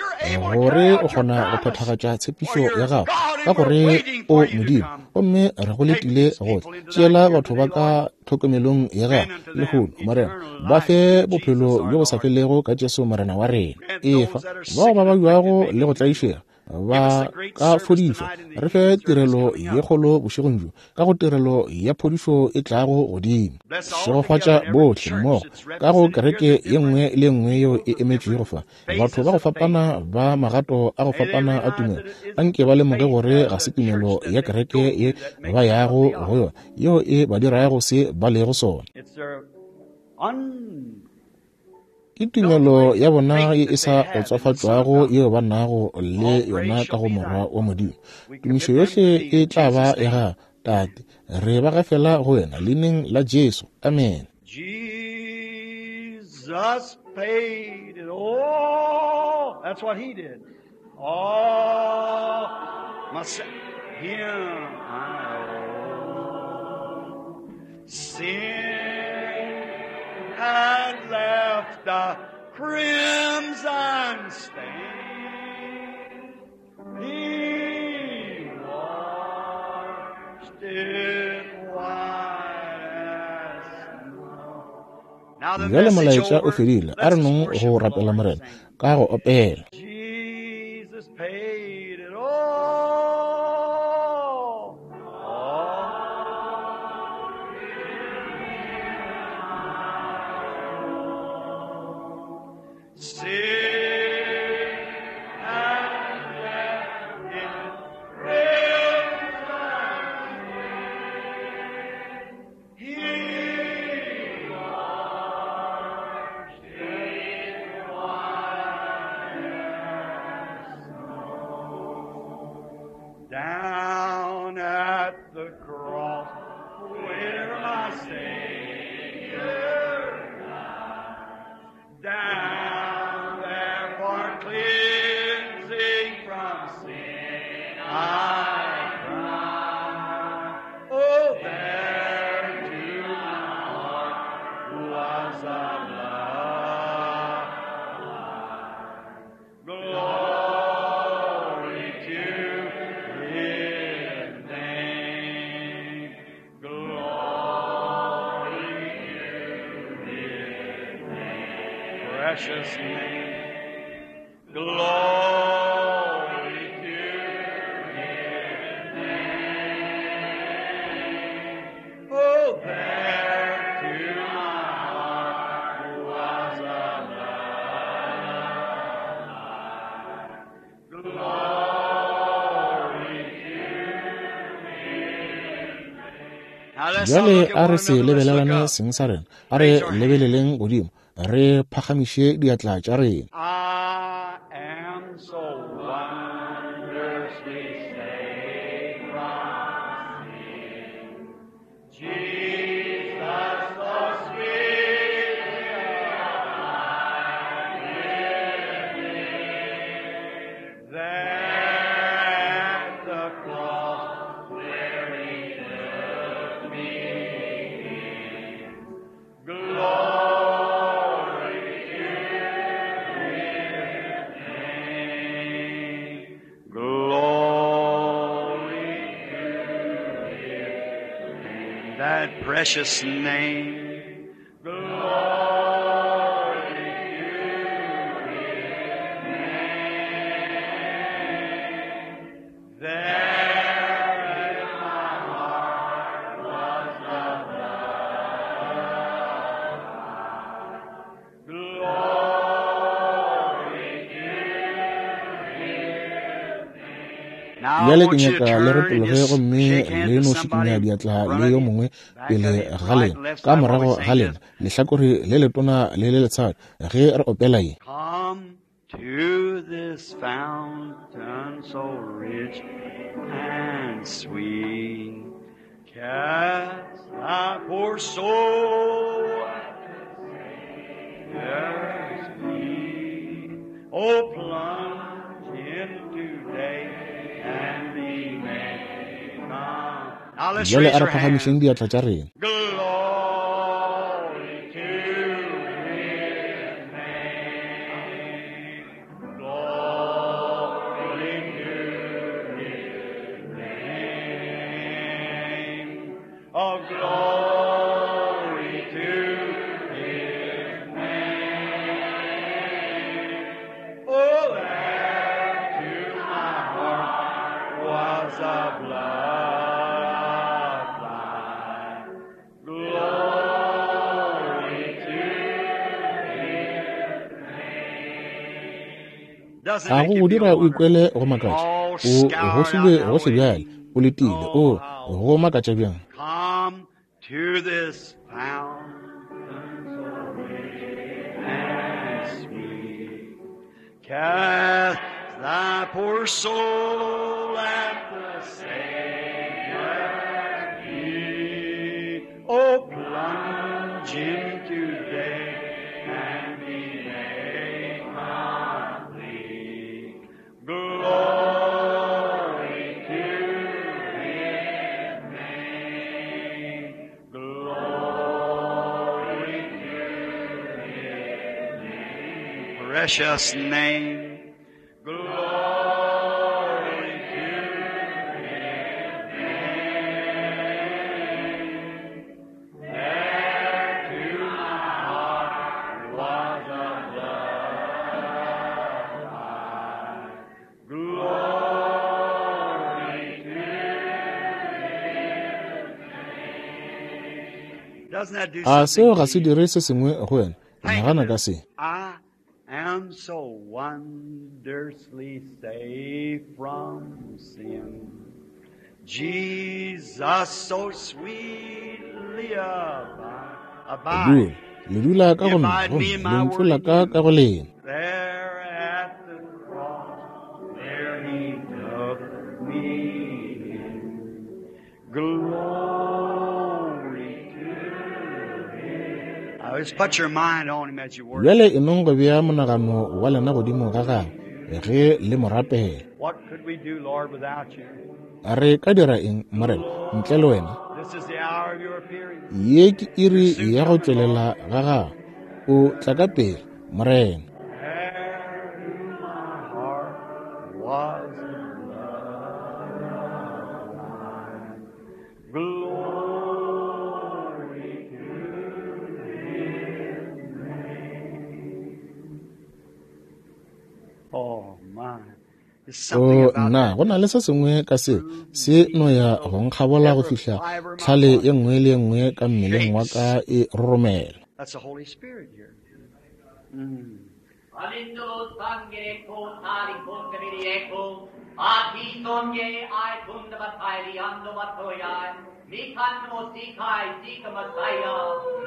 gore o kgona go phethagatša tshepišo ya gago, ka gore o Modimo, gomme re go letile go tla. Tšeela batho ba ka tlhokomelong ya gago lehono, Morena, ba fe bophelo bjo bo sa felego ka Jesu Morena wa rena. Efa bao ba babjago le go tlaišega ba ka fodišwa. Re fe tirelo ye kgolo bošegong bjo, ka go tirelo ya phodišo e tlago godimo. Šegofatša bohle mmogo ka go kereke ye nngwe le ye nngwe yeo e emetšwego fa, batho ba go fapana ba magato a go fapana a tumelo. Anke ba lemoge gore ga se tumelo ya kereke ye ba yago go yona yeo e ba dirago se ba lego sona. Ke tumelo ya bona ye e sa otswafatšwago yeo ba nago le yona ka go Morwa wa Modimo. Tumišo yohle e tla ba ya gago, Tate. Re ba gafela go wena leineng la Jesu. Amen. Jesus paid it all. That's what he did. All my him I owe. Sin had left a crimson stain. He washed it white as snow. Now the Bjale message molaetša o over. fedile. A Let's re nong worship go the Lord rapela and Morena sing. ka go opela. Jesus paid it all. All. Sin had left its crimson He washed it white as snow. Down at the cross where my Savior died, down there for cleansing from sin I cried. Oh, there to my heart was a love. Glory to His name. Glory to His name. Precious name. Glory to His name. Oh, there to my heart was a love. Glory to His name. Now let's all Bjale look at a one re se another. Let's look lebelelane up. seng sa rena. A re Raise our hands. lebeleleng godimo, re phagamiše diatla tša rena. I am so wondrously saved from sin. Jesus, so sweetly abide with me. There at the cross where he took me in. Glory to His name. Glory to His name. That precious name. Glory to His name. There in my heart was the blood. Glory to His name. Now I Bjale ke want you to nyaka le turn and retologe just gomme shake hands le with no somebody šikinya in diatla front le of yo you, mongwe back pele of you, ga right lena, and left ka side while we morago sing ga this. lena, lehlakore le letona le le letshadi ge re opela ye. Come to this fountain so rich and sweet. Cast thy poor soul at the Savior's feet. Oh, plunge in today and be made calm. Now let's Bjale raise a re our hands. phagamišeng diatla tša rena. Glory to His name. Glory to His name. Oh, glory to His name. Oh, there to my heart was a blood line. Glory to His name. Doesn't A make go you go feel dira o wonderful? ikwele go makatša. All O scoured out gohlilwe now gohle with bjale, o letile. oh O how go makatša bjang. come to this fountain so rich and Cast thy poor soul at the Savior's feet. Oh, plunge him today and be made complete. Glory to His name. Glory to His name. Precious name. Glory to His name. There to my heart was a blood. Glory to His name. Doesn't that do A something seo ga to se you? dire se sengwe go wena? Think Nagana of ka it. se. I am so wondrously safe from sin. Jesus so sweetly abide. Dula, le dula ka go nna Abide me gomme in my lentšu word la in ka you. ka go lena. There at the cross, there he took me in. Glory to him. I just put your mind on him as you worship. Bjale e nong go bea monagano wa lena godimo ga gagwe ge le mo rapela. What could we do, Lord, without you? Re ka dira eng, Morena, ntle le wena? This is the hour of your appearing. Ye ke iri ya go tšwelela ga gago. O tla ka pele, Morena. There to my heart was love. Glory to His name. Oh my. There's something O about nna, that go na le se sengwe ka seo se no ya go nkgabola go every fihla fiber of my tlhale body ye nngwe le ye nngwe ka mmeleng wa shakes. ka e roromela. That's the Holy Spirit here. Mm. Alindolo sangere ko tari kundaviri eko, ati songe ai kundavatai ando matoyai, mikando sikai sika masaya,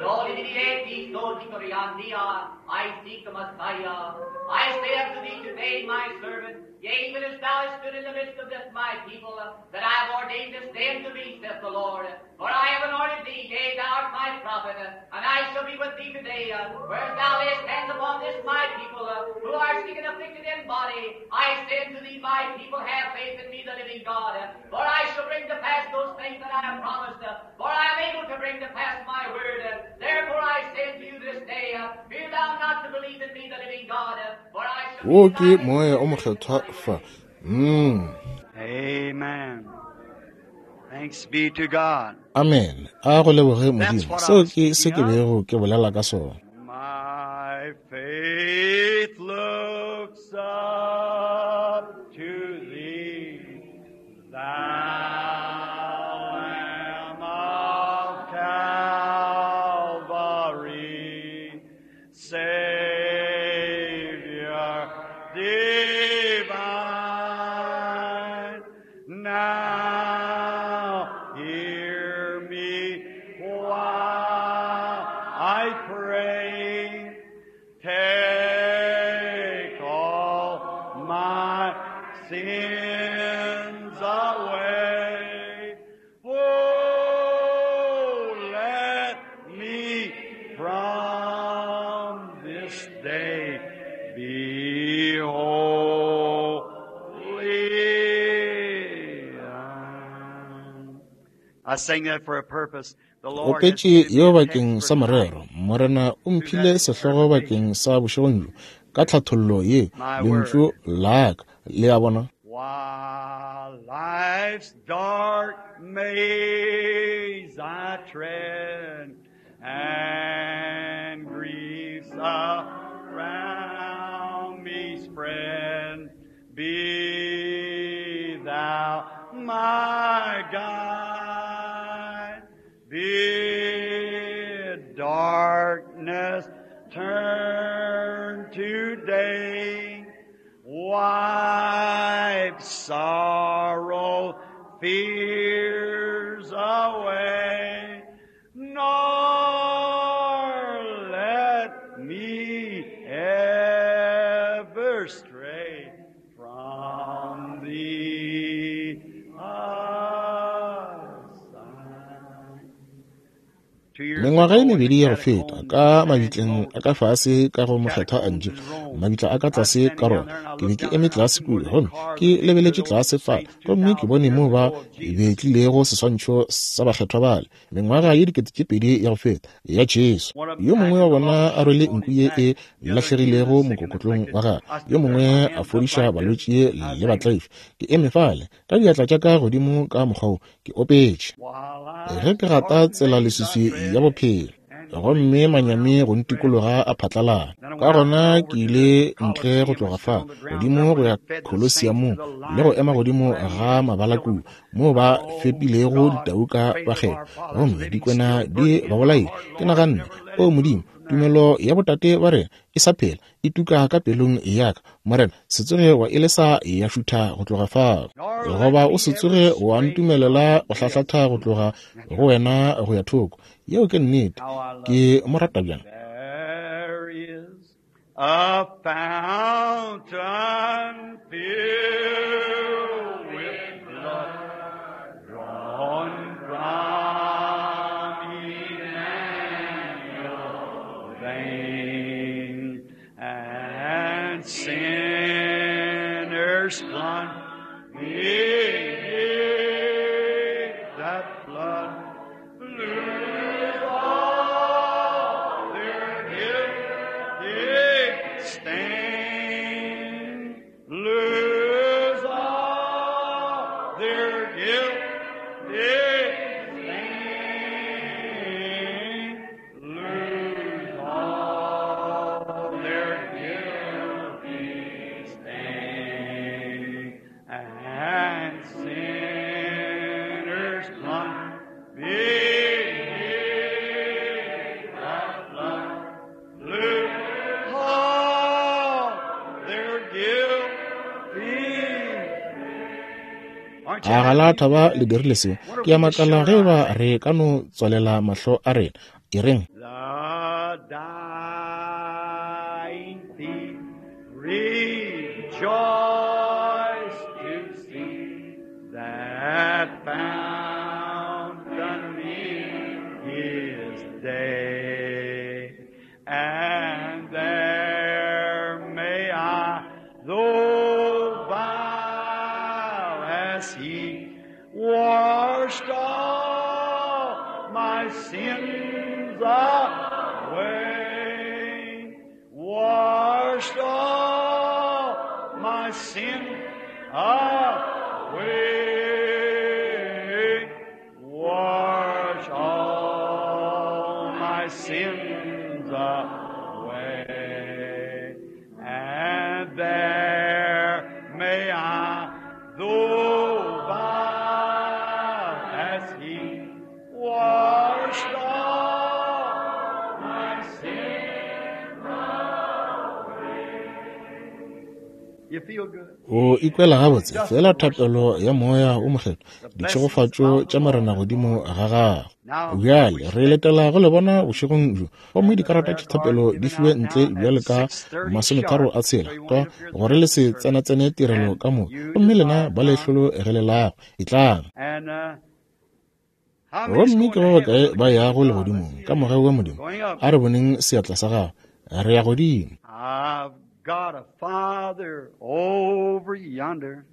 nori eti so dikoriandia, I seek the Messiah. I say unto thee today, my servant, yea, even as thou hast stood in the midst of this my people, that I have ordained this day unto thee, saith the Lord. For I have anointed thee, yea, thou art my prophet, and I shall be with thee today. Whereas thou layest hands upon this my people, who are sick and afflicted in body, I say unto thee, my people, have faith in me, the living God. For I shall bring to pass those things that I have promised, for I am able to bring to pass my word. Therefore I say unto you this day, fear thou not to believe in me, the living God, for I shall Wo be ke thy moya o mokgethwa fa. Mm. Amen. Thanks be to God. Amen. A go leboge That's Modimo. what I Seo was ke se speaking ke of. bego ke bolela ka sona. My faith looks up to thee, thou Lamb of Calvary, Savior divine. Now hear me while I pray. Take all my sins away. Oh, let me from this day be holy. I sang that for a purpose. The Lord has Opetše given me yeo a text bakeng for sa tonight morero. Morena o through mphile that sehlogo interpretation. bakeng sa bošegong bjo ka tlhathollo ye My lentšu word. la ka. Le a bona? While life's dark maze I tread, and griefs around me spread, be thou my guide. Bid darkness turn to day. Wipe sorrow, fears away, nor let me ever stray. Mengwaga ye mebedi ya go feta, ka mabitleng a ka fase ka go Mokgethwa Angelo, mabitla a ka tlase ka Roma, ke be ke eme tlase kua gomme ke lebeletše tlase fale, gomme ke bone moo ba betlilego seswantšho sa bakgethwa bale, mengwaga ye 2000 ya go feta, ya Jesu. Yo mongwe wa bona a rwele nku ye e lahlegilego mokokotlong wa gagwe, yo mongwe a fodiša balwetši le batlaifi. Ke eme fale ka diatla tša ka godimo ka mokgwa wo, ke opetše ge ke gata tsela leswiswi ya bophelo, gomme manyami go ntikologa a phatlalala. Ka gona ke ile ntle go tloga fa godimo go ya Colosseumong le go ema godimo ga mabala kua moo ba fepilego ditau ka bakgethwa, gomme dikwena di ba bolaile. Ke naganne, O Modimo, tumelo ya botate ba rena e sa phela, e tuka ka pelong ya ka. Morena, se tsoge wa e lesa ya šutha go tloga fao, goba o se tsoge wa ntumelela go hlahlatha go tloga go wena go ya thoko. Yeo ke nnete. Ke mo rata bjang. There is a fountain filled with blood drawn from Emmanuel's veins, and sinners plunge beneath that blood lose all their guilty stain, lose all their guilty stain, lose all their guilty stain, and sinners plunge beneath that blood, lose all their guilty. Aren't you A ga la happy? thaba le dirile seo? Ke a makala ge ba re ka no tswalela mahlo a rena. E reng, The dying thief rejoiced to see that fountain in his day, and there may I, though vile as he, washed all my sins away, washed all my sin away, wash all my sins away, and there may I, though vile as he, washed all my sins away. You feel good? O ikwela gabotse? Fela thapelo ya Moya o Mokgethwa, ditšhegofatšo tša Morena godimo ga gago. Bjale re letela go le bona bošegong bjo, gomme dikarata tša thapelo di fiwe ntle bjale ka 36 tlwa, gore le se tsenatsene tirelo ka moka. Gomme lena ba le hlologelelago, etlang. And how many's Gomme going ke to ba heaven? bakae ba yago Let's legodimong see ka it. mogau wa Modimo? Going up. A re boneng seatla sa gago. Re ya godimo. I've got a father over yonder.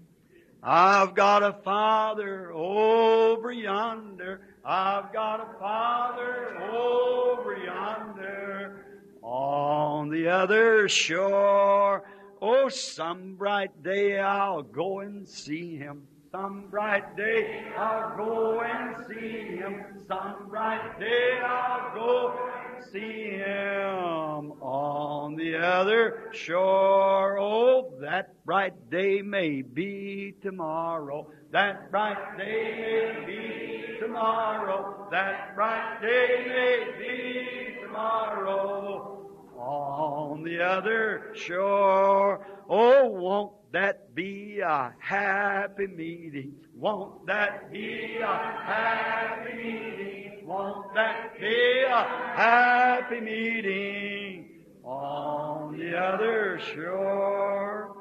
I've got a father over yonder. I've got a father over yonder on the other shore. Oh, some bright day I'll go and see him. Some bright day I'll go and see him. Some bright day I'll go and see him on the other shore. Oh, that bright day may be tomorrow. That bright day may be tomorrow. That bright day may be tomorrow. On the other shore. Oh, won't that be a happy meeting? Won't that be a happy meeting? Won't that be a happy meeting on the other shore?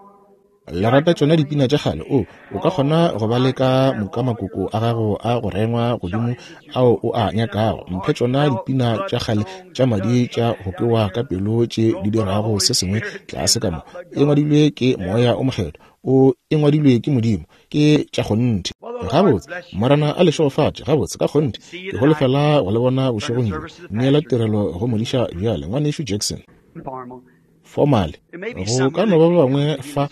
Le rata tšona dipina tša kgale? O, o ka kgona go ba le ka moka makoko a gago a go rengwa godimo ao o a nyakago. Mphe tšona dipina tša kgale tša madi tša go kwewa ka pelo tše di dirago se sengwe tlase ka mo. E ngwadilwe ke Moya o Mokgethwa. O e ngwadilwe ke Modimo. Ke tša kgonthe. Gabotse, Morena a le šegofatše. Gabotse, ka kgonthe. Ke holofela go le bona bošegong bjo. Neela tirelo go modiša bjale, Ngwanešu Jackson. Formally, go ka no ba ba bangwe fa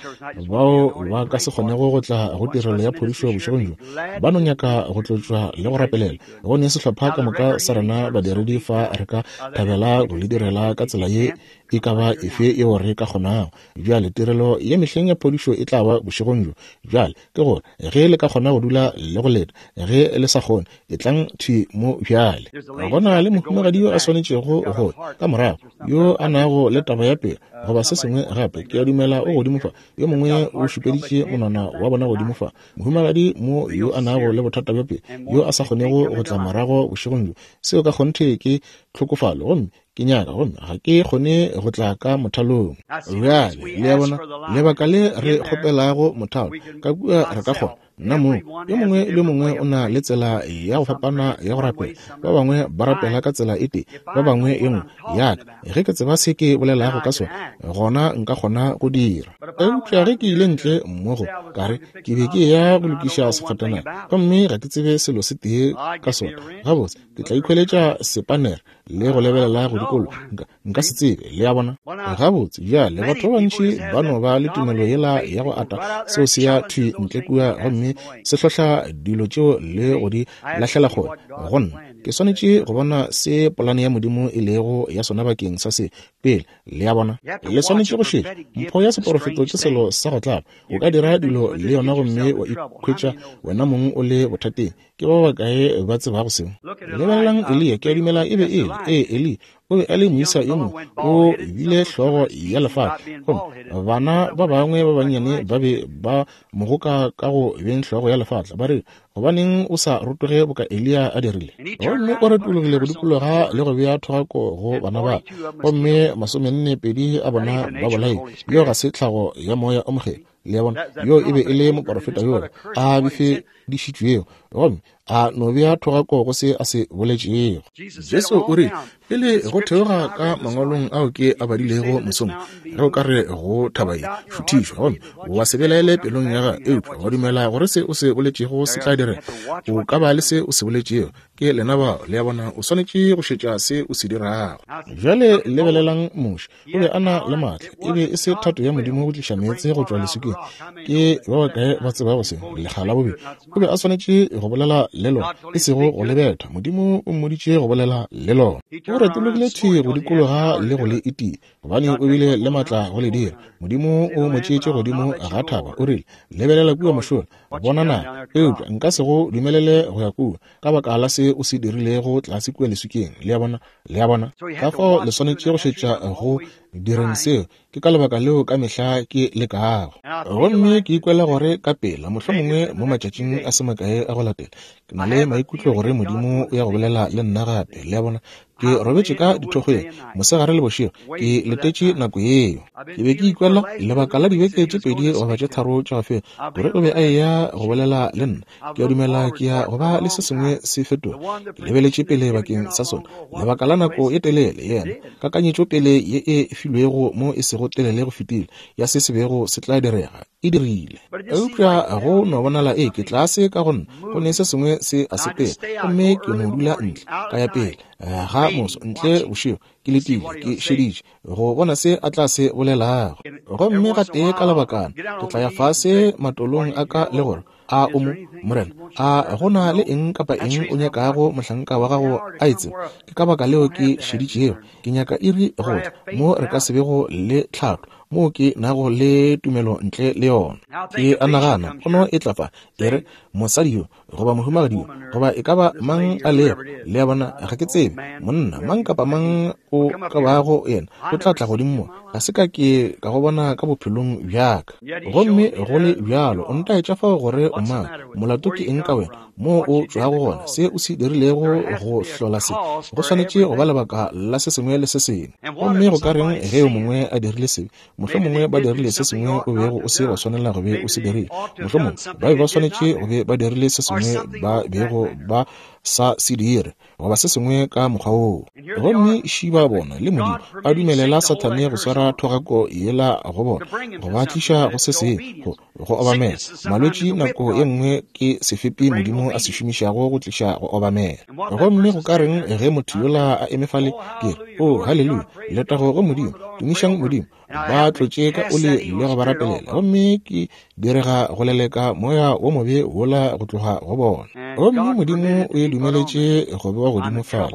bao ba ka se kgonego go tla go tirelo ya phodišo bošegong bjo, ba no nyaka go tlotšwa le go rapelela. Go ne sehlopha ka moka sa rena badiredi fa re ka thabela go le direla ka tsela ye e ka ba efe yeo re ka kgonago. Bjale, tirelo ya mehleng ya phodišo e tla ba bošegong bjo. Bjale, ke gore ge le ka kgona go dula le go leta, ge le sa kgone, etlang thwi mo bjale. Go na le mohumagadi yo a swanetšego go ka morago, yo a nago le taba ya pelo goba se sengwe gape. Ke a dumela o godimo fa. Yo mongwe o šupeditše monwana wa bona godimo fa. Mohumagadi mo yo a nago le bothata bja pelo, yo a sa kgonego go tla morago bošegong bjo. Seo ka kgonthe ke tlhokofalo, gomme ke nyaka, gomme ga ke kgone go tla ka mothalong. Bjale, le a bona, lebaka le re kgopelago mothalo ka kua, re ka kgona nna mong. Yo mongwe le yo mongwe o na le tsela ya go fapana ya go rapela. Ba bangwe ba rapela ka tsela e tee, ba bangwe e nngwe. Ya ka, ge ke tseba se ke bolelago ka sona, gona nka kgona go dira. Eupša ge ke ile ntle mmogo, ka re ke be ke eya go lokiša sefatanaga, gomme ga ke tsebe selo se tee ka sona. Gabotse, ke tla ikhweletša sepanere le go lebelela go dikologa. Nka, nka se tsebe, le a bona. Gabotse, bjale, batho ba bantši ba no ba le tumelo yela ya go ata, seo se ya thwi ntle kua gomme se hlohla dilo tšeo le go di lahlela kgole. Go nna, ke swanetše go bona se polane ya Modimo e lego ya sona bakeng sa se pele, le a bona. Le swanetše go šetša. Mpho ya seporofeto ke selo sa go tlaba. O ka dira dilo le yona gomme wa ikhwetša wena mong o le bothateng. Ke ba bakae ba tsebago seo? Lebelelang Eliya, ke a dumela e be e le. Ee, Eliya o be a le moisa yo mongwe, o bile hlogo ya lefatla. Gomme bana ba bangwe ba bannyane ba be ba mo goka ka go beng hlogo ya lefatla, ba re, Gobaneng o sa rotoge boka Eliya a dirile? Gomme o retologile go dikologa le go bea thogako go bana ba, gomme 42 a bona ba bolailwe. Yeo ga se tlhago ya Moya o Mokgethwa. Le a bona? Yo e be e le moporofeta yola a befedišitšwego, gomme a no bea thogako go se a se boletšego. Jesu o rile, pele go theoga ka mangwalong ao ke a badilego mosong, ge o ka re go thaba ye, šuthišwa, gomme wa se belaele pelong ya gago, eupša wa dumela gore se o se boletšego se tla direga, o ka ba le se o se boletšego. Ke lena bao, le a bona, o swanetše go šetša se o se dirago. Bjale lebelelang Moshe. O be a na le maatla. E be e se thato ya Modimo go tliša meetse go tšwa leswikeng. Ke ba bakae ba tsebago seo? Lekga la bobedi. O be a swanetše go bolela le lona, e sego go le betha. Modimo o mmoditše go bolela le lona. O retologile thwi go dikologa le go le itia, gobane o bile le maatla go le dira. Modimo o mo tšeetše godimo ga thaba, o rile, Lebelela kua mošola, bona naga, eupša nka se go dumelele go ya kua, ka baka la se o se dirilego tlase kua leswikeng. Le a bona? Le a bona? Ka fao le swanetše go šetša go direng seo. Ke ka lebaka leo ka mehla ke lekago. Gomme ke ikwela gore ka pela, mohlomongwe mo matšatšing a se makae a go latela, ke na le maikutlo gore Modimo o ya go bolela le nna gape. Le a bona? Ke robetše ka dithokgweng mosegare le bošego, ke letetše nako yeo. Ke be ke ikwela lebaka la dibeke tše pedi goba tše tharo tša go feta gore o be a eya go bolela le nna. Ke a dumela ke ya go ba le se sengwe se fetoga. Ke lebeletše pele bakeng sa sona lebaka la nako e telele. Yena, kakanyetšo pele ye e filwego mo e sego telele go fetile ya se se bego se tla direga, e dirile. Eupša go no bonala e ke tlase ka go nna, go ne se sengwe se a sepela, gomme ke no dula ntle, ka ya pele ga moso, ntle bošego, ke letile, ke šeditše go bona se a tla se bolelago. Gomme gatee ka lebakana ke tla ya fase matolong a ka le gore, A o mo, Morena? A go na le eng kapa eng o nyakago mohlanka wa gago a e tseba? Ke ka baka leo ke šeditšego. Ke nyaka iri go tla mo re ka se bego le tlhatlo, moo ke nago le tumelo ntle le yona. Ke a nagana pono e tla fa, e re, Mosadi yo, goba mohumagadi yo, goba e ka ba mang a lego, le a bona, ga ke tsebe, monna mang kapa mang o ka bago yena, o tla tla godimo mo. Ga se ka ke ka go bona ka bophelong bja ka. Gomme go le bjalo o ntaetša fao gore o mang, molato ke eng ka wena, moo o tšwago gona, se o se dirilego go hlola se. Go swanetše go ba lebaka la se sengwe le se sengwe. Gomme go ka reng ge yo mongwe a dirile sebe? Mohlomongwe ba dirile se sengwe o bego o se wa swanela go be o se dirile. Mohlomongwe ba be ba swanetše go be ba dirile se sengwe ba bego ba sa se dire, goba se sengwe ka mokgwa woo. Gomme šiba bona le Modimo a dumelela Sathane go swara thogako yela go bona, go ba tliša go se sengwe, go obamela. Malwetši nako ye nngwe ke sefepi Modimo a se šomišago go tliša go obamela. Gomme go ka reng ge motho yola a eme fale? Ke re, Oo, haleluya, letago go Modimo, tumišang Modimo. Ba tlotše ka oli le go ba rapelela, gomme ke direga go leleka moya wo mobe wola go tloga go bona. Gomme Modimo o e dumeletše go bewa godimo fale.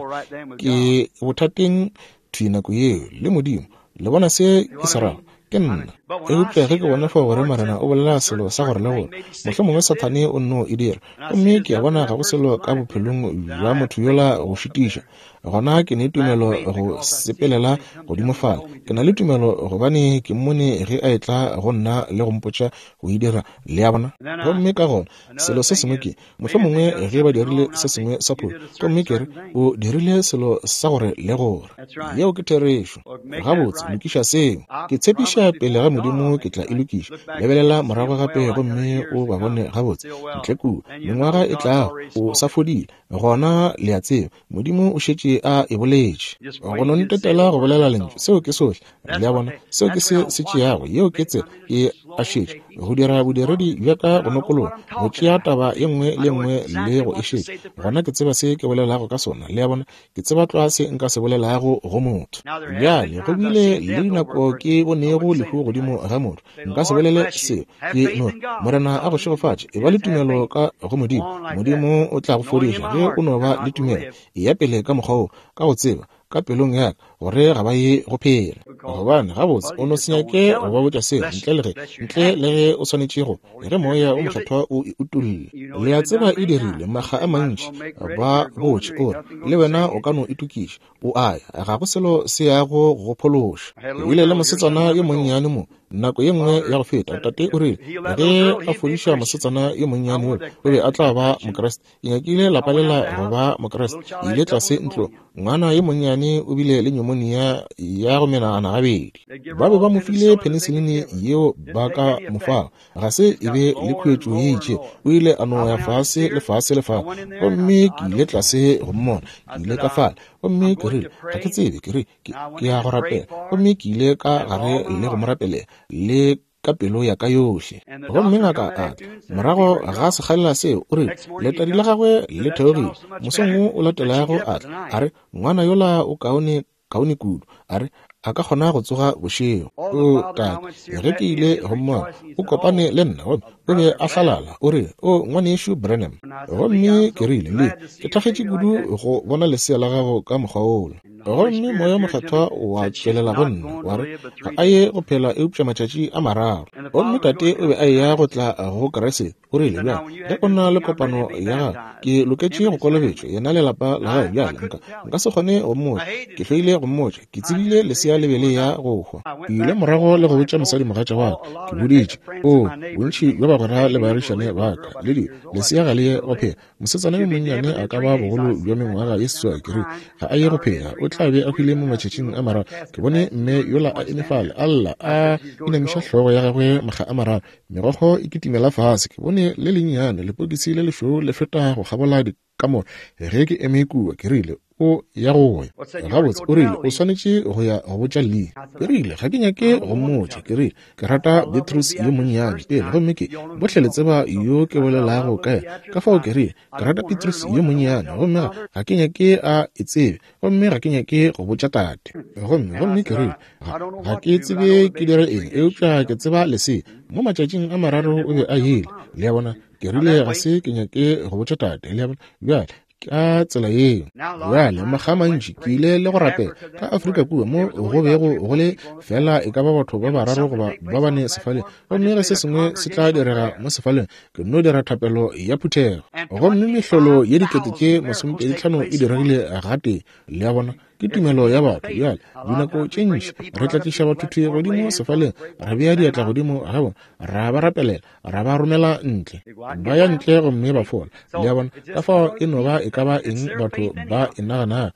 Ke bothateng thwi nako yeo le Modimo. Le bona se ke se rago? Ke nna. Eupša ge ke bona fao gore Morena o bolela selo sa gore le gore, mohlomongwe Sathane o nno e dira, gomme ke a bona ga go selo ka bophelong bja motho yola go šitiša, gona ke ne tumelo go sepelela godimo fale. Ke na le tumelo gobane ke mmone ge a etla go nna le go mpotša go e dira. Le a bona? Gomme ka gona selo se sengwe ke, mohlomongwe ge ba dirile se sengwe sa phošo, gomme ke re, o dirile selo sa gore le gore. Yeo ke therešo. Gabotse, lokiša seo. Ke tshepiša pele ga Modimo ke tla e lokiša. Lebelela morago gape gomme o ba bone gabotse ntle kua, mengwaga e tlago, o sa fodile. Gona le a tseba, Modimo o šetše a e boletše. Go no ntetela go bolela lentšu, seo ke sohle. Le a bona, seo ke se se tšeago, yeo ke tsela. Ke a šetša, go dira bodiredi bja ka go nokologa, go tšea taba ye nngwe le ye nngwe le go e šetša. Gona ke tseba se ke bolelago ka sona. Le a bona, ke tseba tlwa se nka se bolelago go motho. Bjale, go bile le dinako ke bonego lehu godimo ga motho. Nka se bolele seo. Ke no re, Morena a go šegofatše. Eba le tumelo ka go Modimo. Modimo o tla go fodiša ge o no ba le tumelo. Eya pele ka mokgwa woo, ka go tseba, ka pelong ya ka, gore ga ba ye go phela. Gobane, gabotse, o no se nyake go ba botša seo, ntle le ge, ntle le ge o swanetše go, ge Moya wo Mokgethwa o e utolla. Le a tseba e dirile, makga a mantši. Ba botše, o re, le wena o ka no itokiša. O a ya, ga go selo se yago go go phološa. Ke bile le mosetsana yo monnyane mo, nako ye nngwe ya go feta. Tate o rile, ge a fodiša mosetsana yo monnyane yola, o be a tla ba Mokriste. Ke nyakile lapa lela go ba Mokriste. Ke ile tlase ntlong. Ngwana yo monnyane o bile le pneumonia ya go menagana gabedi. Ba be ba mo file penicillin yeo ba ka mo fago. Ga se e be le khuetšo ye itše. O ile a no ya fase le fase le fase. Gomme ke ile tlase go mmona. Ke ile ka fale. Gomme ke rile, ga ke tsebe, ke re, ke, ke ya go rapela. Gomme ke ile ka gare le go mo rapelela, le ka pelo ya ka yohle. Gomme ngaka a tla, morago ga sekgalela seo, o rile, letadi la gagwe le theogile. Mosong wo o latelago a tla, a re, Ngwana yola o kaone, kaone kudu. A re, a ka kgona go tsoga bošego. O, tate, ge ke ile go mmona, o kopane le nna, gomme o be a hlalala, o rile, O, Ngwanešu Branham. Gomme ke rile, Lee, ke thakgetše kudu go bona lesea la gago ka mokgwa wola. Gomme Moya wo Mokgethwa wa tšwelela go nna, wa re, Ga a ye go phela eupša matšatši a mararo. Gomme tate o be a eya go tla go Kriste. O rile, Bjale, ge o na le kopano ya gago, ke loketše go kolobetšwa, yena le lapa la gagwe. Bjale, nka, nka se kgone go mmotša. Ke hloile go mmotša. Ke tsebile lesea le be le ya go hwa. Ke ile morago le go botša mosadimogatša wa ka. Ke boditše, oo, bontši bja bagwera le baagišane ba ka, le dilo, lesea ga le ye go phela. Mosetsana yo monnyane a ka ba bogolo bja mengwaga ye seswai, ke rile, ga a ye go phela, o tla be a hwile mo matšatšing a mararo. Ke bone mme yola a eme fale, a lla, a inamiša hlogo ya gagwe makga a mararo, megokgo e kitimela fase. Ke bone le lennyane, lepokisi le lešweu le feta go kgabola dikamore ge ke eme kua. Ke rile, O ya go ya. Gabotse, o rile, o swanetše go ya go botša Lee. Ke rile, ga ke nyake go mmotša. Ke rile, ke rata Beatrice yo monnyane pele, gomme ke, bohle le tseba yo ke bolelago ka yena. Ka fao ke rile, ke rata Beatrice yo monnyane, gomme ga, ga ke nyake a e tsebe, gomme ga ke nyake go botša tate. Gomme, gomme ke rile, ga, ga ke tsebe ke dire eng, eupša ke tseba lesea. Mo matšatšing a mararo o be a ile. Le a bona? Ke rile, ga se ke nyake go botša tate. Le a bona? Bjale, ka tsela yeo. Bjale, makga a mantši ke ile le go rapela ka Afrika kua mo go bego go le fela e ka ba batho ba bararo goba ba bane sefaleng, gomme ge se sengwe se tla direga mo sefaleng, ke nno dira thapelo ya phuthego, gomme mehlolo ye 25,000 e diregile gatee. Le a bona? Ke tumelo ya batho. Bjale, dinako tše ntši re tla tliša batho thwi godimo sefaleng, ra bea diatla godimo ga bona, ra ba rapelela, ra ba romela ntle, ba ya ntle gomme ba fola. Le a bona? Ka fao e no ba e ka ba eng batho ba e naganago.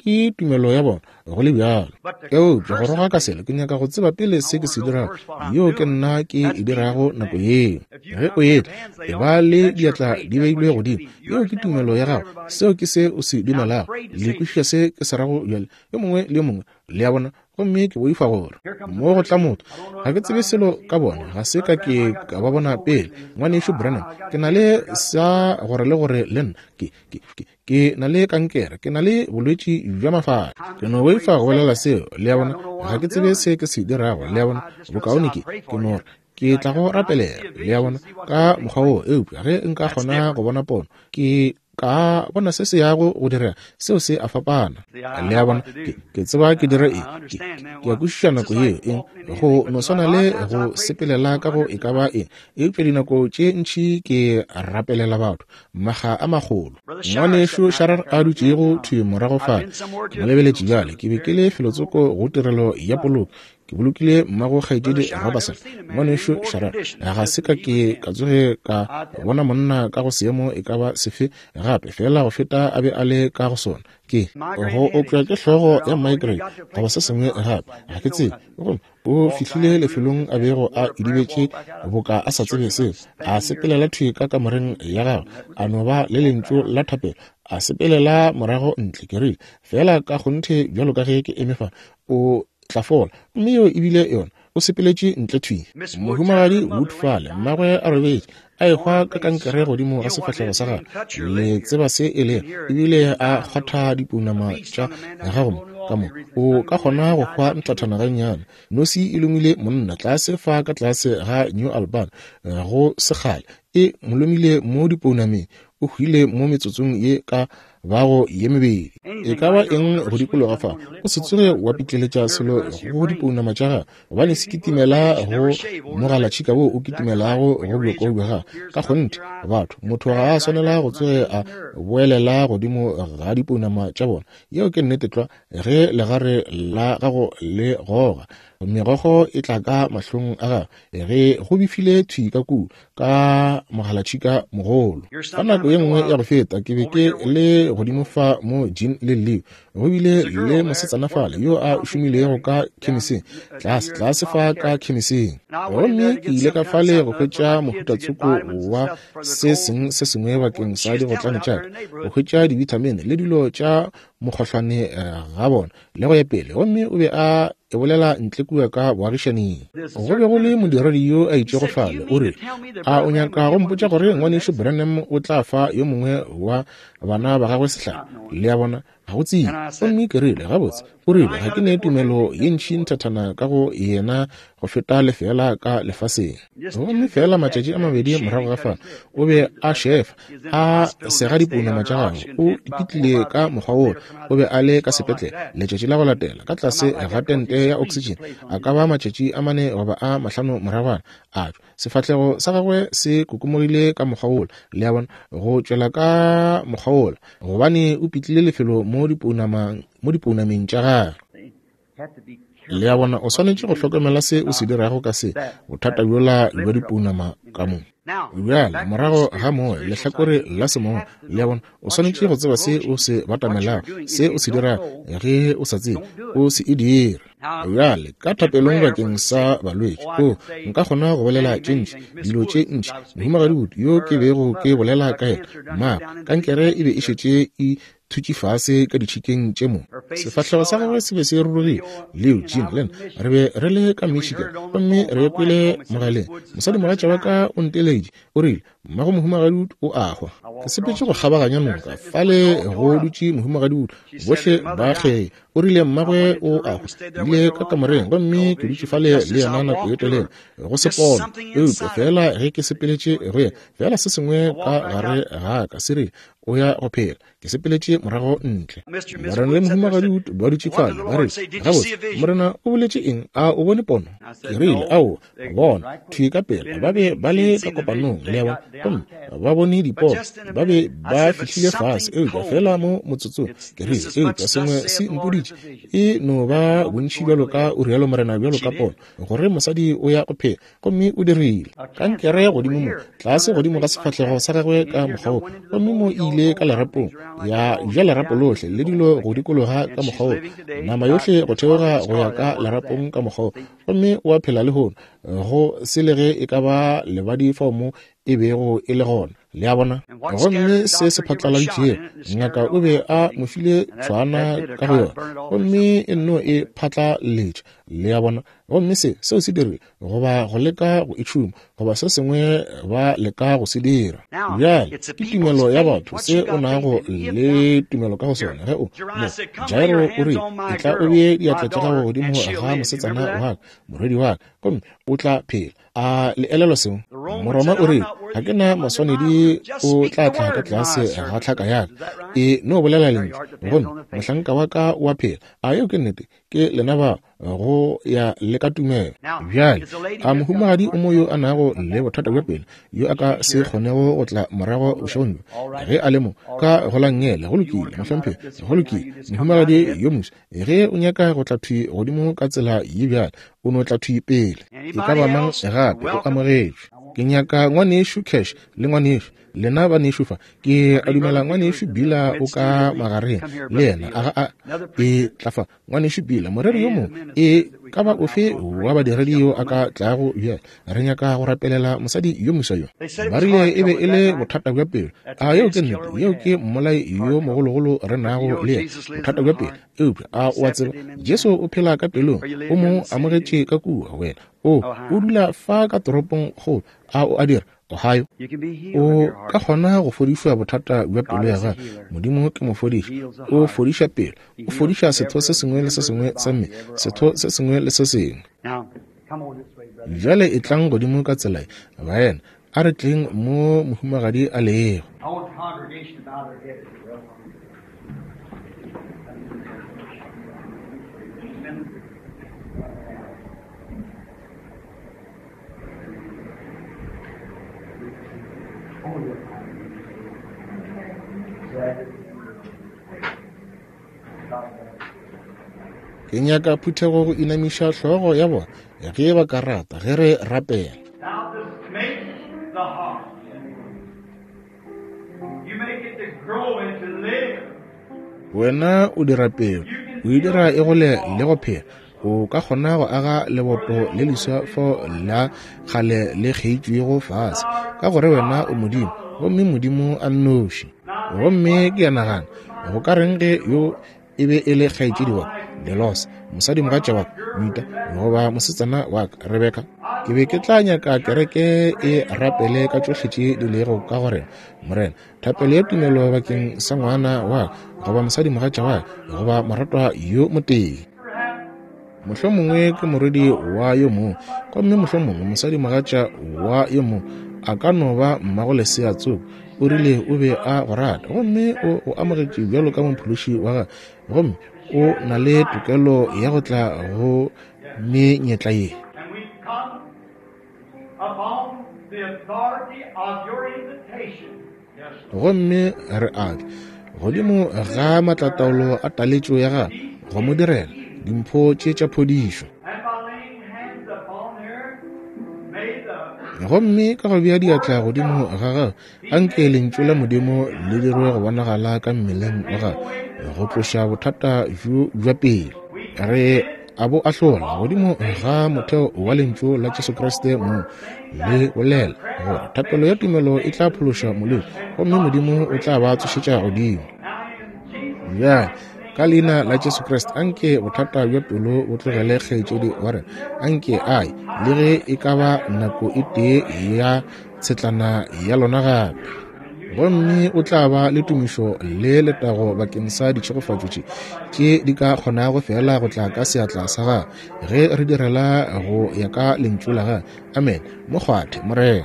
Ke tumelo ya bona, go le bjalo. Eupša go roga ka selo, ke nyaka go tseba pele se ke se dirago, yeo ke nna ke e dirago nako yeo. Ge o etla, e ba le diatla di beilwe godimo, yeo ke tumelo ya gago, seo ke se o se dumelago. Le kwešiša se ke se rago bjale, yo mongwe le yo mongwe, le a bona? Gomme ke boifa gore mo go tla motho, ga ke tsebe selo ka bona, ga se ka ke ka ba bona pele. Ngwanešu Branham, ke na le sa gore le gore le nna, ke na le kankere, ke na le bolwetši bja mafahla. Ke no boifa go bolela seo, le a bona, ga ke tsebe se ke se dirago, le a bona, bokaone ke no re ke tla go rapelela, le a bona, ka mokgwa woo. Eupša ge nka kgona go bona pono, ke ka bona se se yago go direga, seo se a fapana, le a bona. Ke tseba ke dire eng, ke a kwešiša nako yeo, eng, go no swana le go sepelela ka go e ka ba eng. Eupša dinako tše ntši ke rapelela batho maga a magolo. Ngwanešu Sharar a dutšego thwi morago fale, ke mo lebeletše bjale. Ke be ke le felotsoko go tirelo ya poloko, ke bolokile mmago kgaetšedi Robertson. Ngwanešu Sharar, ga se ka ke ka tsoge ka bona monna ka go seemo e ka ba sefe gape, fela go feta a be a le ka go sona. Ke go opša ke hlogo ya migraine goba se sengwe gape, ga ke tsebe. Gomme o fihlile lefelong a bego a idibetše boka a sa tsebe seo, a sepelela thwi ka kamoreng ya gagwe, a no ba le lentšu la thapelo, a sepelela morago ntle. Ke rile, fela ka kgonthe bjalo ka ge ke eme fa, o tla fola. Mme yeo ebile yona, o sepeletše ntle thwi. Mohumagadi Wood fale, mmagwe a robetše, a ehwa ka kankere godimo ga sefahlego sa gagwe, le tseba se e lego, ebile a kgwatha dipounama tša gago mo, ka mo, o ka kgona go hwa nthathana gannyane. Nosi e lomile monna tlase fa ka tlase ga New Albany go sekgale, e mo lomile mo dipounameng, o hwile mo metsotsong ye ka bago ye mebedi. E ka ba eng go dikologa fa, o se tsoge wa pitleletša selo go dipounama tša gago, gobane se kitimela go mogalatšhika wo o kitimelago go bjoko bja gago. Ka kgonthe, batho, motho ga a swanela go tsoge a boelela godimo ga dipounama tša bona. Yeo ke nnete tlwa. Ge legare la gago le goga, megogo e tla ka mahlong a gago, ge go befile thwi ka kua ka mogalatšhika mogolo. Ka nako ye nngwe ya go feta ke be ke le godimo fa mo Jean le Leo, go bile le mosetsana fale yo a šomilego ka khemiseng, tlase tlase fa ka khemiseng. Gomme ke ile ka fale go hwetša mohutatsoko wa se seng se sengwe bakeng sa digotlane tša ka, go hwetša dibithamine le dilo tša mokgohlwane ga bona le go ya pele. Gomme o be a e bolela ntle kua ka boagišaning. Go be go le modiredi yo a itšego fale, o rile, a o nyaka go mpotša gore ngwanešu Branham o tla fa yo mongwe wa bana ba gagwe sehlare? Le a bona, ga go tsebe. Gomme ke rile, gabotse, o rile, ga ke ne tumelo ye ntši nthathana ka go yena go feta lefeela ka lefaseng. Gomme feela matšatši a mabedi morago ga fa, o be a šefa, a sega dipounama tša gagwe, o ipitlile ka mokgwa woo, o be a le ka sepetlele letšatši la go latela, ka tlase ga tente ya oxygen, a ka ba matšatši a 4 goba a 5 moragwana, a tšwa. Sefahlego sa gagwe se kokomogile ka mokgwa wola, le a bona, go tšwela ka mokgwa wola, gobane o pitlile lefelo mo dipounameng tša gagwe. Le a bona, o swanetše go hlokomela se o se dirago ka se, bothata bjola bja dipounama ka mo. Bjale, morago ga moya, lehlakore la semoya, le a bona, o swanetše go tseba se o se batamelago, se o se dirago. Ge o sa tsebe, o se e dire. Bjale, ka thapelong bakeng sa balwetši, o nka kgona go bolela tše ntši, dilo tše ntši. Mohumagadi Wood, yo ke bego ke bolela ka yena, mmagwe, kankere e be e šetše e thutše fase ka ditšhikeng tše mo. Sefahlego sa gagwe se be se rurugile. Leo, Jean le nna re be re le ka Michigan, gomme re kwele mogaleng. Mosadimogatša wa ka o nteleditše, o rile, Mmago mohumagadi Wood o a hwa. Ke sepetše go kgabaganya noka, fale go dutše mohumagadi Wood, bohle ba kgee. O rile mmagwe o a hwa. Ke ile ka kamoreng gomme ke dutše fale le yena nako ye telele, go se pono. Eupša feela ge ke sepeletše go yena, feela se sengwe ka gare ga ka se rile, o ya go phela. Ke sepeletše morago ntle. Morena le mohumagadi Wood ba dutše fale, ba re, Gabotse, Morena o boletše eng? A o bone pono? Ke rile, Aowa, bona thwi ka pela ba be ba le ka kopanong, le a bona, gomme ba bone dipono, ba be ba fihlile fase, eupša feela mo motsotsong. Ke rile, Eupša sengwe se mpoditše, e no ba bontši bjalo ka o rialo Morena, bjalo ka pono, gore mosadi o ya go phela. Gomme o dirile. Kankere godimo mo, tlase godimo ga sefahlego sa gagwe ka mokgwa wo, gomme mo e ile ile ka lerapong, ya ja lerapo lohle le dilo go dikologa ka mokgwa wo, nama yohle go theoga go ya ka lerapong ka mokgwa wo, gomme o a phela lehono, go se le ge e ka ba lebadi fao mo e bego e le gona. Le a bona? Gomme se se phatlaladitšego, ngaka o be a mo file tšhwana ka go yona, gomme e nno e phatlaletša. Le a bona? Gomme se, seo se dirile, goba go leka go e tšhuma, goba se sengwe ba leka go se dira. Bjale, ke tumelo ya batho, se o nago le tumelo ka go sona. Ge o, mo, Jairo o rile, Etla o bee diatla tša gago godimo ga mosetsana wa ka, morwedi wa ka, gomme o tla phela. A le elelwa seo? Moroma o rile, Ga ke na maswanedi o tla tla ka tlase ga tlhaka ya ka. E no bolela lentšu, gomme mohlanka wa ka o a phela. A yeo ke nnete? Ke lena ba go ya le ka tumelo. Bjale, a mohumagadi o mo yo a nago le bothata bja pelo, yo a ka se kgonego go tla morago bošegong bjo, ge a le mo ka go la nngele? Go lokile, mohlomphegi, go lokile. Mohumagadi yo moswa, ge o nyaka go tla thwi godimo ka tsela ye bjale, o no tla thwi pele. E ka ba mang gape o amogetšwe. Ke nyaka ngwanešu Cash le ngwanešu, lena banešu fa. Ke a dumela ngwanešu Bila o ka magareng le yena. A ga a e tla fa ngwanešu Bila, moreri yo mongwe e ka ba ofe wa badiredi yo a ka tlago bjale. Re nyaka go rapelela mosadi yo moswa yo. Ba rile e be e le bothata bja pelo. A yeo ke nnete? Yeo ke mmolai yo mogologolo re nago le yena, bothata bja pelo. Eupša a o a tseba, Jesu o phela ka pelong, o mo amogetše ka kua. Wena o, o dula fa ka toropong kgolo, a o a dira? Ohio. O ka kgona go fodišwa bothata bja pelo ya gago. Modimo ke mofodiši. O fodiša pelo. O fodiša setho se sengwe le se sengwe sa mmele, setho se sengwe le se sengwe. Bjale etlang godimo ka tsela ye, baena. A re tleng mo mohumagadi a lego. Ke nyaka phuthego go inamiša hlogo ya bona ge ba ka rata, ge re rapela. Wena o dira pelo, o e dira e gole le go phela. O ka kgona go aga leboto le leswa fo la kgale le kgeitšwego fase, ka gore wena o Modimo, gomme Modimo a nnoši. Gomme ke a nagana, go ka reng ge yo e be e le kgaetšedi wa Delos, mosadimogatša wa ka, Mita, goba mosetsana wa ka, Rebeka? Ke be ke tla nyaka kereke e rapele ka tšohle tše di lego ka go rena, Morena, thapelo ya tumelo bakeng sa ngwana wa ka, goba mosadimogatša wa ka, goba moratwa yo motee. Mohlomongwe ke morwedi wa yo mongwe, gomme mohlomongwe mosadimogatša wa yo mongwe a ka no ba mmago lesea tsoko. O rile o be a go rata, gomme o go amogetše bjalo ka mophološi wa gagwe, gomme o na le tokelo ya go tla go menyetla ye. Gomme re a tla godimo ga maatlataolo a taletšo ya gagwe go mo direla dimpho tše tša phodišo. Gomme ka go bea diatla godimo ga gagwe, anke lentšu la Modimo le dirwe go bonagala ka mmeleng wa gagwe, go tloša bothata bjo bja pele. Re a bo ahlola godimo ga motheo wa lentšu la Jesu Kriste mong le bolela gore thapelo ya tumelo e tla phološa molwetši, gomme Modimo o tla ba tsošetša godimo. Bjale, ka leina la Jesu Kriste, anke bothata bja pelo bo tlogele kgaetšedi wa rena, anke a ye le ge e ka ba nako e tee ya tshetlana ya lona gape. Gomme o tla ba le tumišo le letago bakeng sa ditšhegofatšo tše, tše di ka kgonago feela go tla ka seatla sa gagwe, ge re direla go ya ka lentšu la gagwe. Amen. Mo kgwathe, Morena.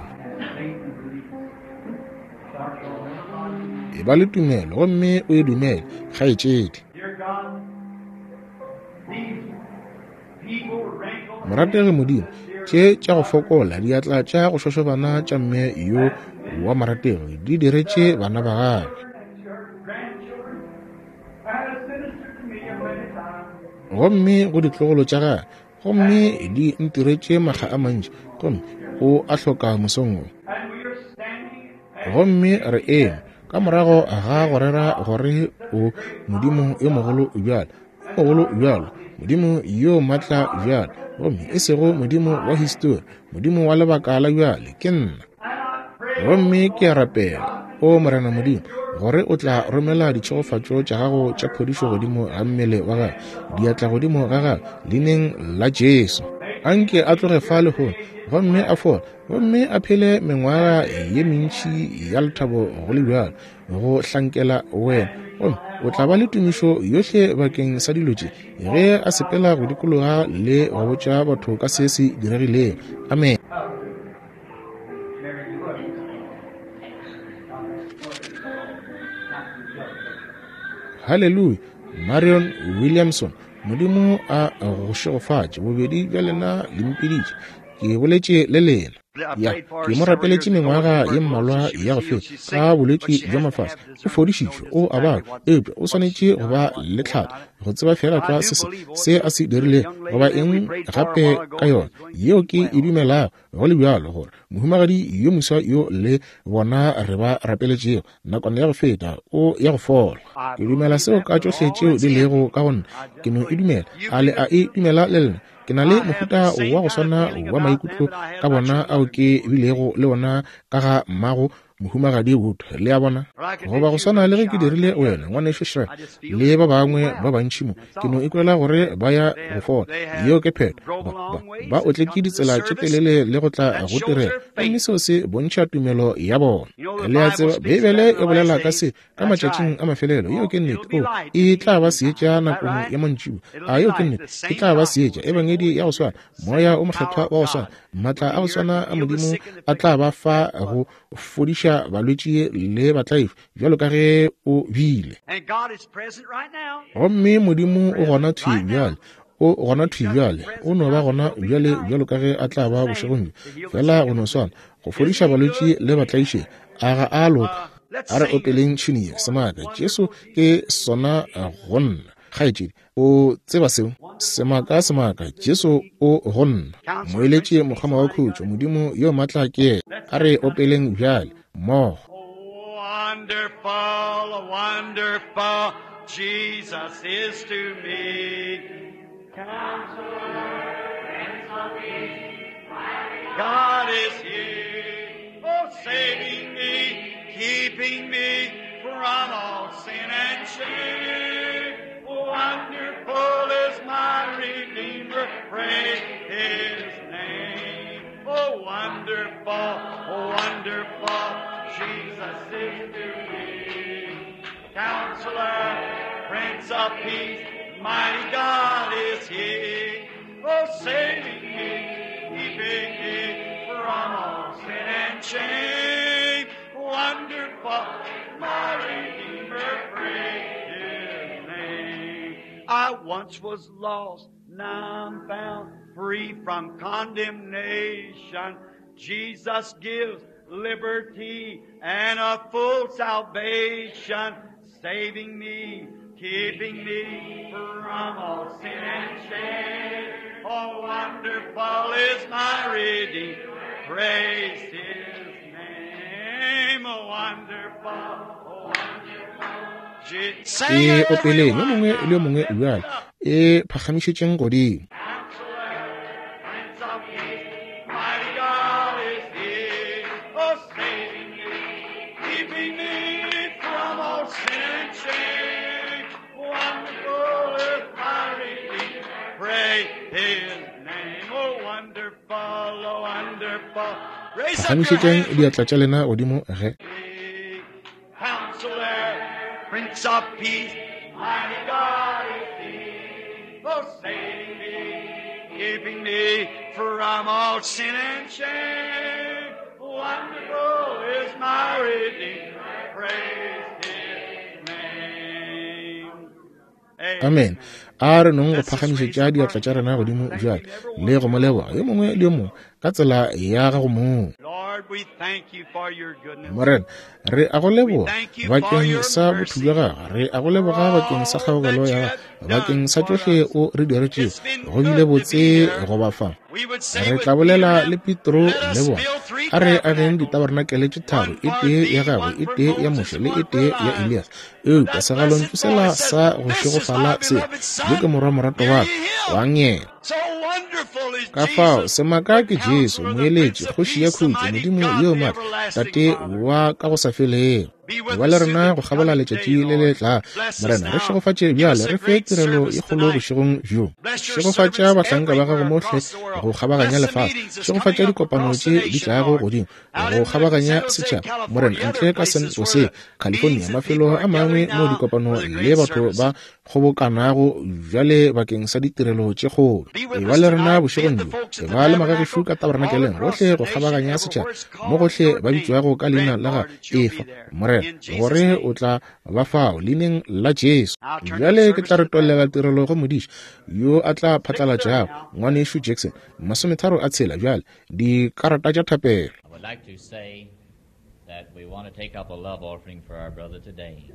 E ba le tumelo gomme o e dumele, kgaetšedi. Morategi Modimo, tše tša go fokola, diatla tša go šošobana tša mme yo wa morategi di diretše bana ba gagwe. Gomme go ditlogolo tša gagwe, gomme di ntiretše makga a mantši, gomme o a hloka mosong wo. Gomme re eme. Ka morago ga go rera gore o Modimo yo mogolo bjalo, yo mogolo bjalo, Modimo yo maatla bjalo, gomme e sego Modimo wa histori, Modimo wa lebaka la bjale, ke nna. Gomme ke a rapela, O Morena Modimo, gore o tla romela ditšhegofatšo tša gago tša phodišo godimo ga mmele wa gagwe, diatla godimo ga gagwe, leineng la Jesu. Anke a tloge fa lehono, gomme a fole, gomme a phele mengwaga ye mentši ya lethabo go le bjalo, go hlankela wena. Gomme o tla ba le tumišo yohle bakeng sa dilo tše, ge a sepela go dikologa le go botša batho ka se se diregilego. Amen. Haleluya! Marion Williamson, Modimo a go šegofatše. Bobedi bja lena le mpiditše. Ke boletše le lena. Ya, ke mo rapeletše mengwaga ye mmalwa ya go feta ka bolwetši bja mafase. O fodišitšwe, o a babja, eupša o swanetše go ba le tlhatho go tseba feela tlwa se se a se dirilego goba eng gape ka yona yeo ke e dumelago go le bjalo gore mohumagadi yo moswa yo le bona re ba rapeletšego nakwana ya go feta o ya go fola. Ke dumela seo ka tšohle tšeo di lego ka go nna. Ke no e dumela. A le a e dumela le lena? Ke na le mohuta wa go swana wa maikutlo ka bona ao ke bilego le ona ka ga mmago Mohumagadi Wood, le a bona, goba go swana le ge ke dirile wena, Ngwanešu Schramm, le ba bangwe ba bantši mo. Ke no ikwela gore ba ya go fola. Yeo ke phetho. Ba, ba, ba otletše ditsela tše telele le go tla go tirelo, gomme seo se bontšha tumelo ya bona. Le a tseba, Beibele e bolela ka se ka matšatšing a mafelelo. Yeo ke nnete. O, e tla ba seetša nakong ya mantšiboa. A yeo ke nnete? E tla ba seetša, Ebangedi ya go swana, Moya o Mokgethwa wa go swana, maatla a go swana a Modimo a tla ba fa go fodiša balwetši le batlaifi bjalo ka ge o bile. Gomme Modimo o gona thwi bjale, o gona thwi bjale, o no ba gona bjale bjalo ka ge a tla ba bošegong bjo, fela go no swana, go fodiša balwetši le batlaišegi. A ga a loka? A re opeleng tšhini ye, Semaka, Jesu ke sona go nna. Kgaetšedi, o tseba seo? Semaka, semaka, Jesu o go nna. Moeletši, mokgoma wa khutšo, Modimo yo matla ke yena. A re opeleng bjale, mmogo. Wonderful, wonderful, Jesus is to me. Counselor, Prince of Peace, God is here, oh, saving me, keeping me from all sin and shame. Wonderful is my Redeemer, praise His name. Oh, wonderful, wonderful, Jesus is to me. Counselor, Prince of Peace, mighty God is He. Oh, saving me, keeping me from all sin and shame. Wonderful, my Redeemer, praise His name. I once was lost, now I'm found, free from condemnation. Jesus gives liberty and a full salvation, saving me, keeping me from all sin and shame. Oh, wonderful is my Redeemer, praise His name. Oh, wonderful, oh, wonderful. E opeleng yo mongwe le yo mongwe bjale, e phagamišetšeng godimo. Prince of Peace, mighty God is He, oh, saving me, keeping me from all sin and shame. Wonderful is my Redeemer, praise His name. Oh, wonderful, oh, wonderful. Raise up your Phagamišetšeng hands. diatla tša lena godimo ge. Counselor, Prince of Peace, mighty God is He, oh, saving me, keeping me from all sin and shame. Wonderful is my Redeemer, praise His name. Amen. A re nong go phagamišetša diatla tša rena godimo bjale le go mo leboga yo mongwe le yo mongwe ka tsela ya gago mong. Lord, we thank you for your goodness. Morena, re a go leboga bakeng sa botho bja gago, re a go leboga bakeng sa kgaogelo ya gago, bakeng sa tšohle o re diretšego. Go bile botse go ba fa. We would say Re with tla bolela Peter, le Petro let le us bona. build three A re ageng ditabarenakele tše tharo, e tee ya gagwe, e tee ya Moshe, le e tee ya Elias. Eupša segalontšu sela sa go šegofala se, Yo ke Morwa moratwa wa ka, kwang yena. Ka fao, semaka ke Jesu, Moeletši, Kgoši ya Khutšo, Modimo yo Maatla, Tate wa ka go sa felego. Ba le rena go kgabola letšatši le le tla. Morena, re šegofatše bjale, re fe tirelo e kgolo bošegong bjo. Šegofatša bahlanka ba gago mohle go kgabaganya lefase. Šegofatša dikopano tše di tlago godimo go kgabaganya setšhaba. Morena, ntle ka San Jose, California, mafelo a mangwe moo dikopano le batho ba kgobokanago bjale bakeng sa ditirelo tše kgolo. Eba le rena bošegong bjo. Eba le magagešo ka tabernakeleng gohle go kgabaganya setšhaba, mo gohle ba bitšwago ka leina la ga Efa, Morena, gore o tla ba fao leineng la Jesu. Bjale ke tla retollela tirelo go modiši yo a tla phatlalatšago, Ngwanešu Jackson, masometharo a tshela bjale, dikarata tša thapelo. I would like to say that we want to take up a love offering for our brother today.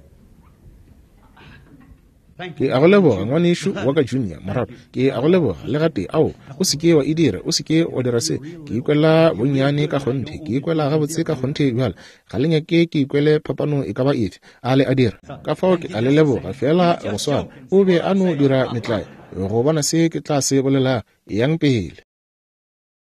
Ke a go leboga, ngwanešu wa ka Junior, morago. Ke a go leboga, le gatee. Ao, o se ke wa e dira. O se ke wa dira se. Ke ikwela bonnyane ka kgonthe. Ke ikwela gabotse ka kgonthe bjale. Ga le nyake ke ikwele phapano e ka ba efe. A le a dira? Ka fao ke a le leboga, feela go swana. O be a no dira metlae, go bona se ke tla se bolelago. Eyang pele.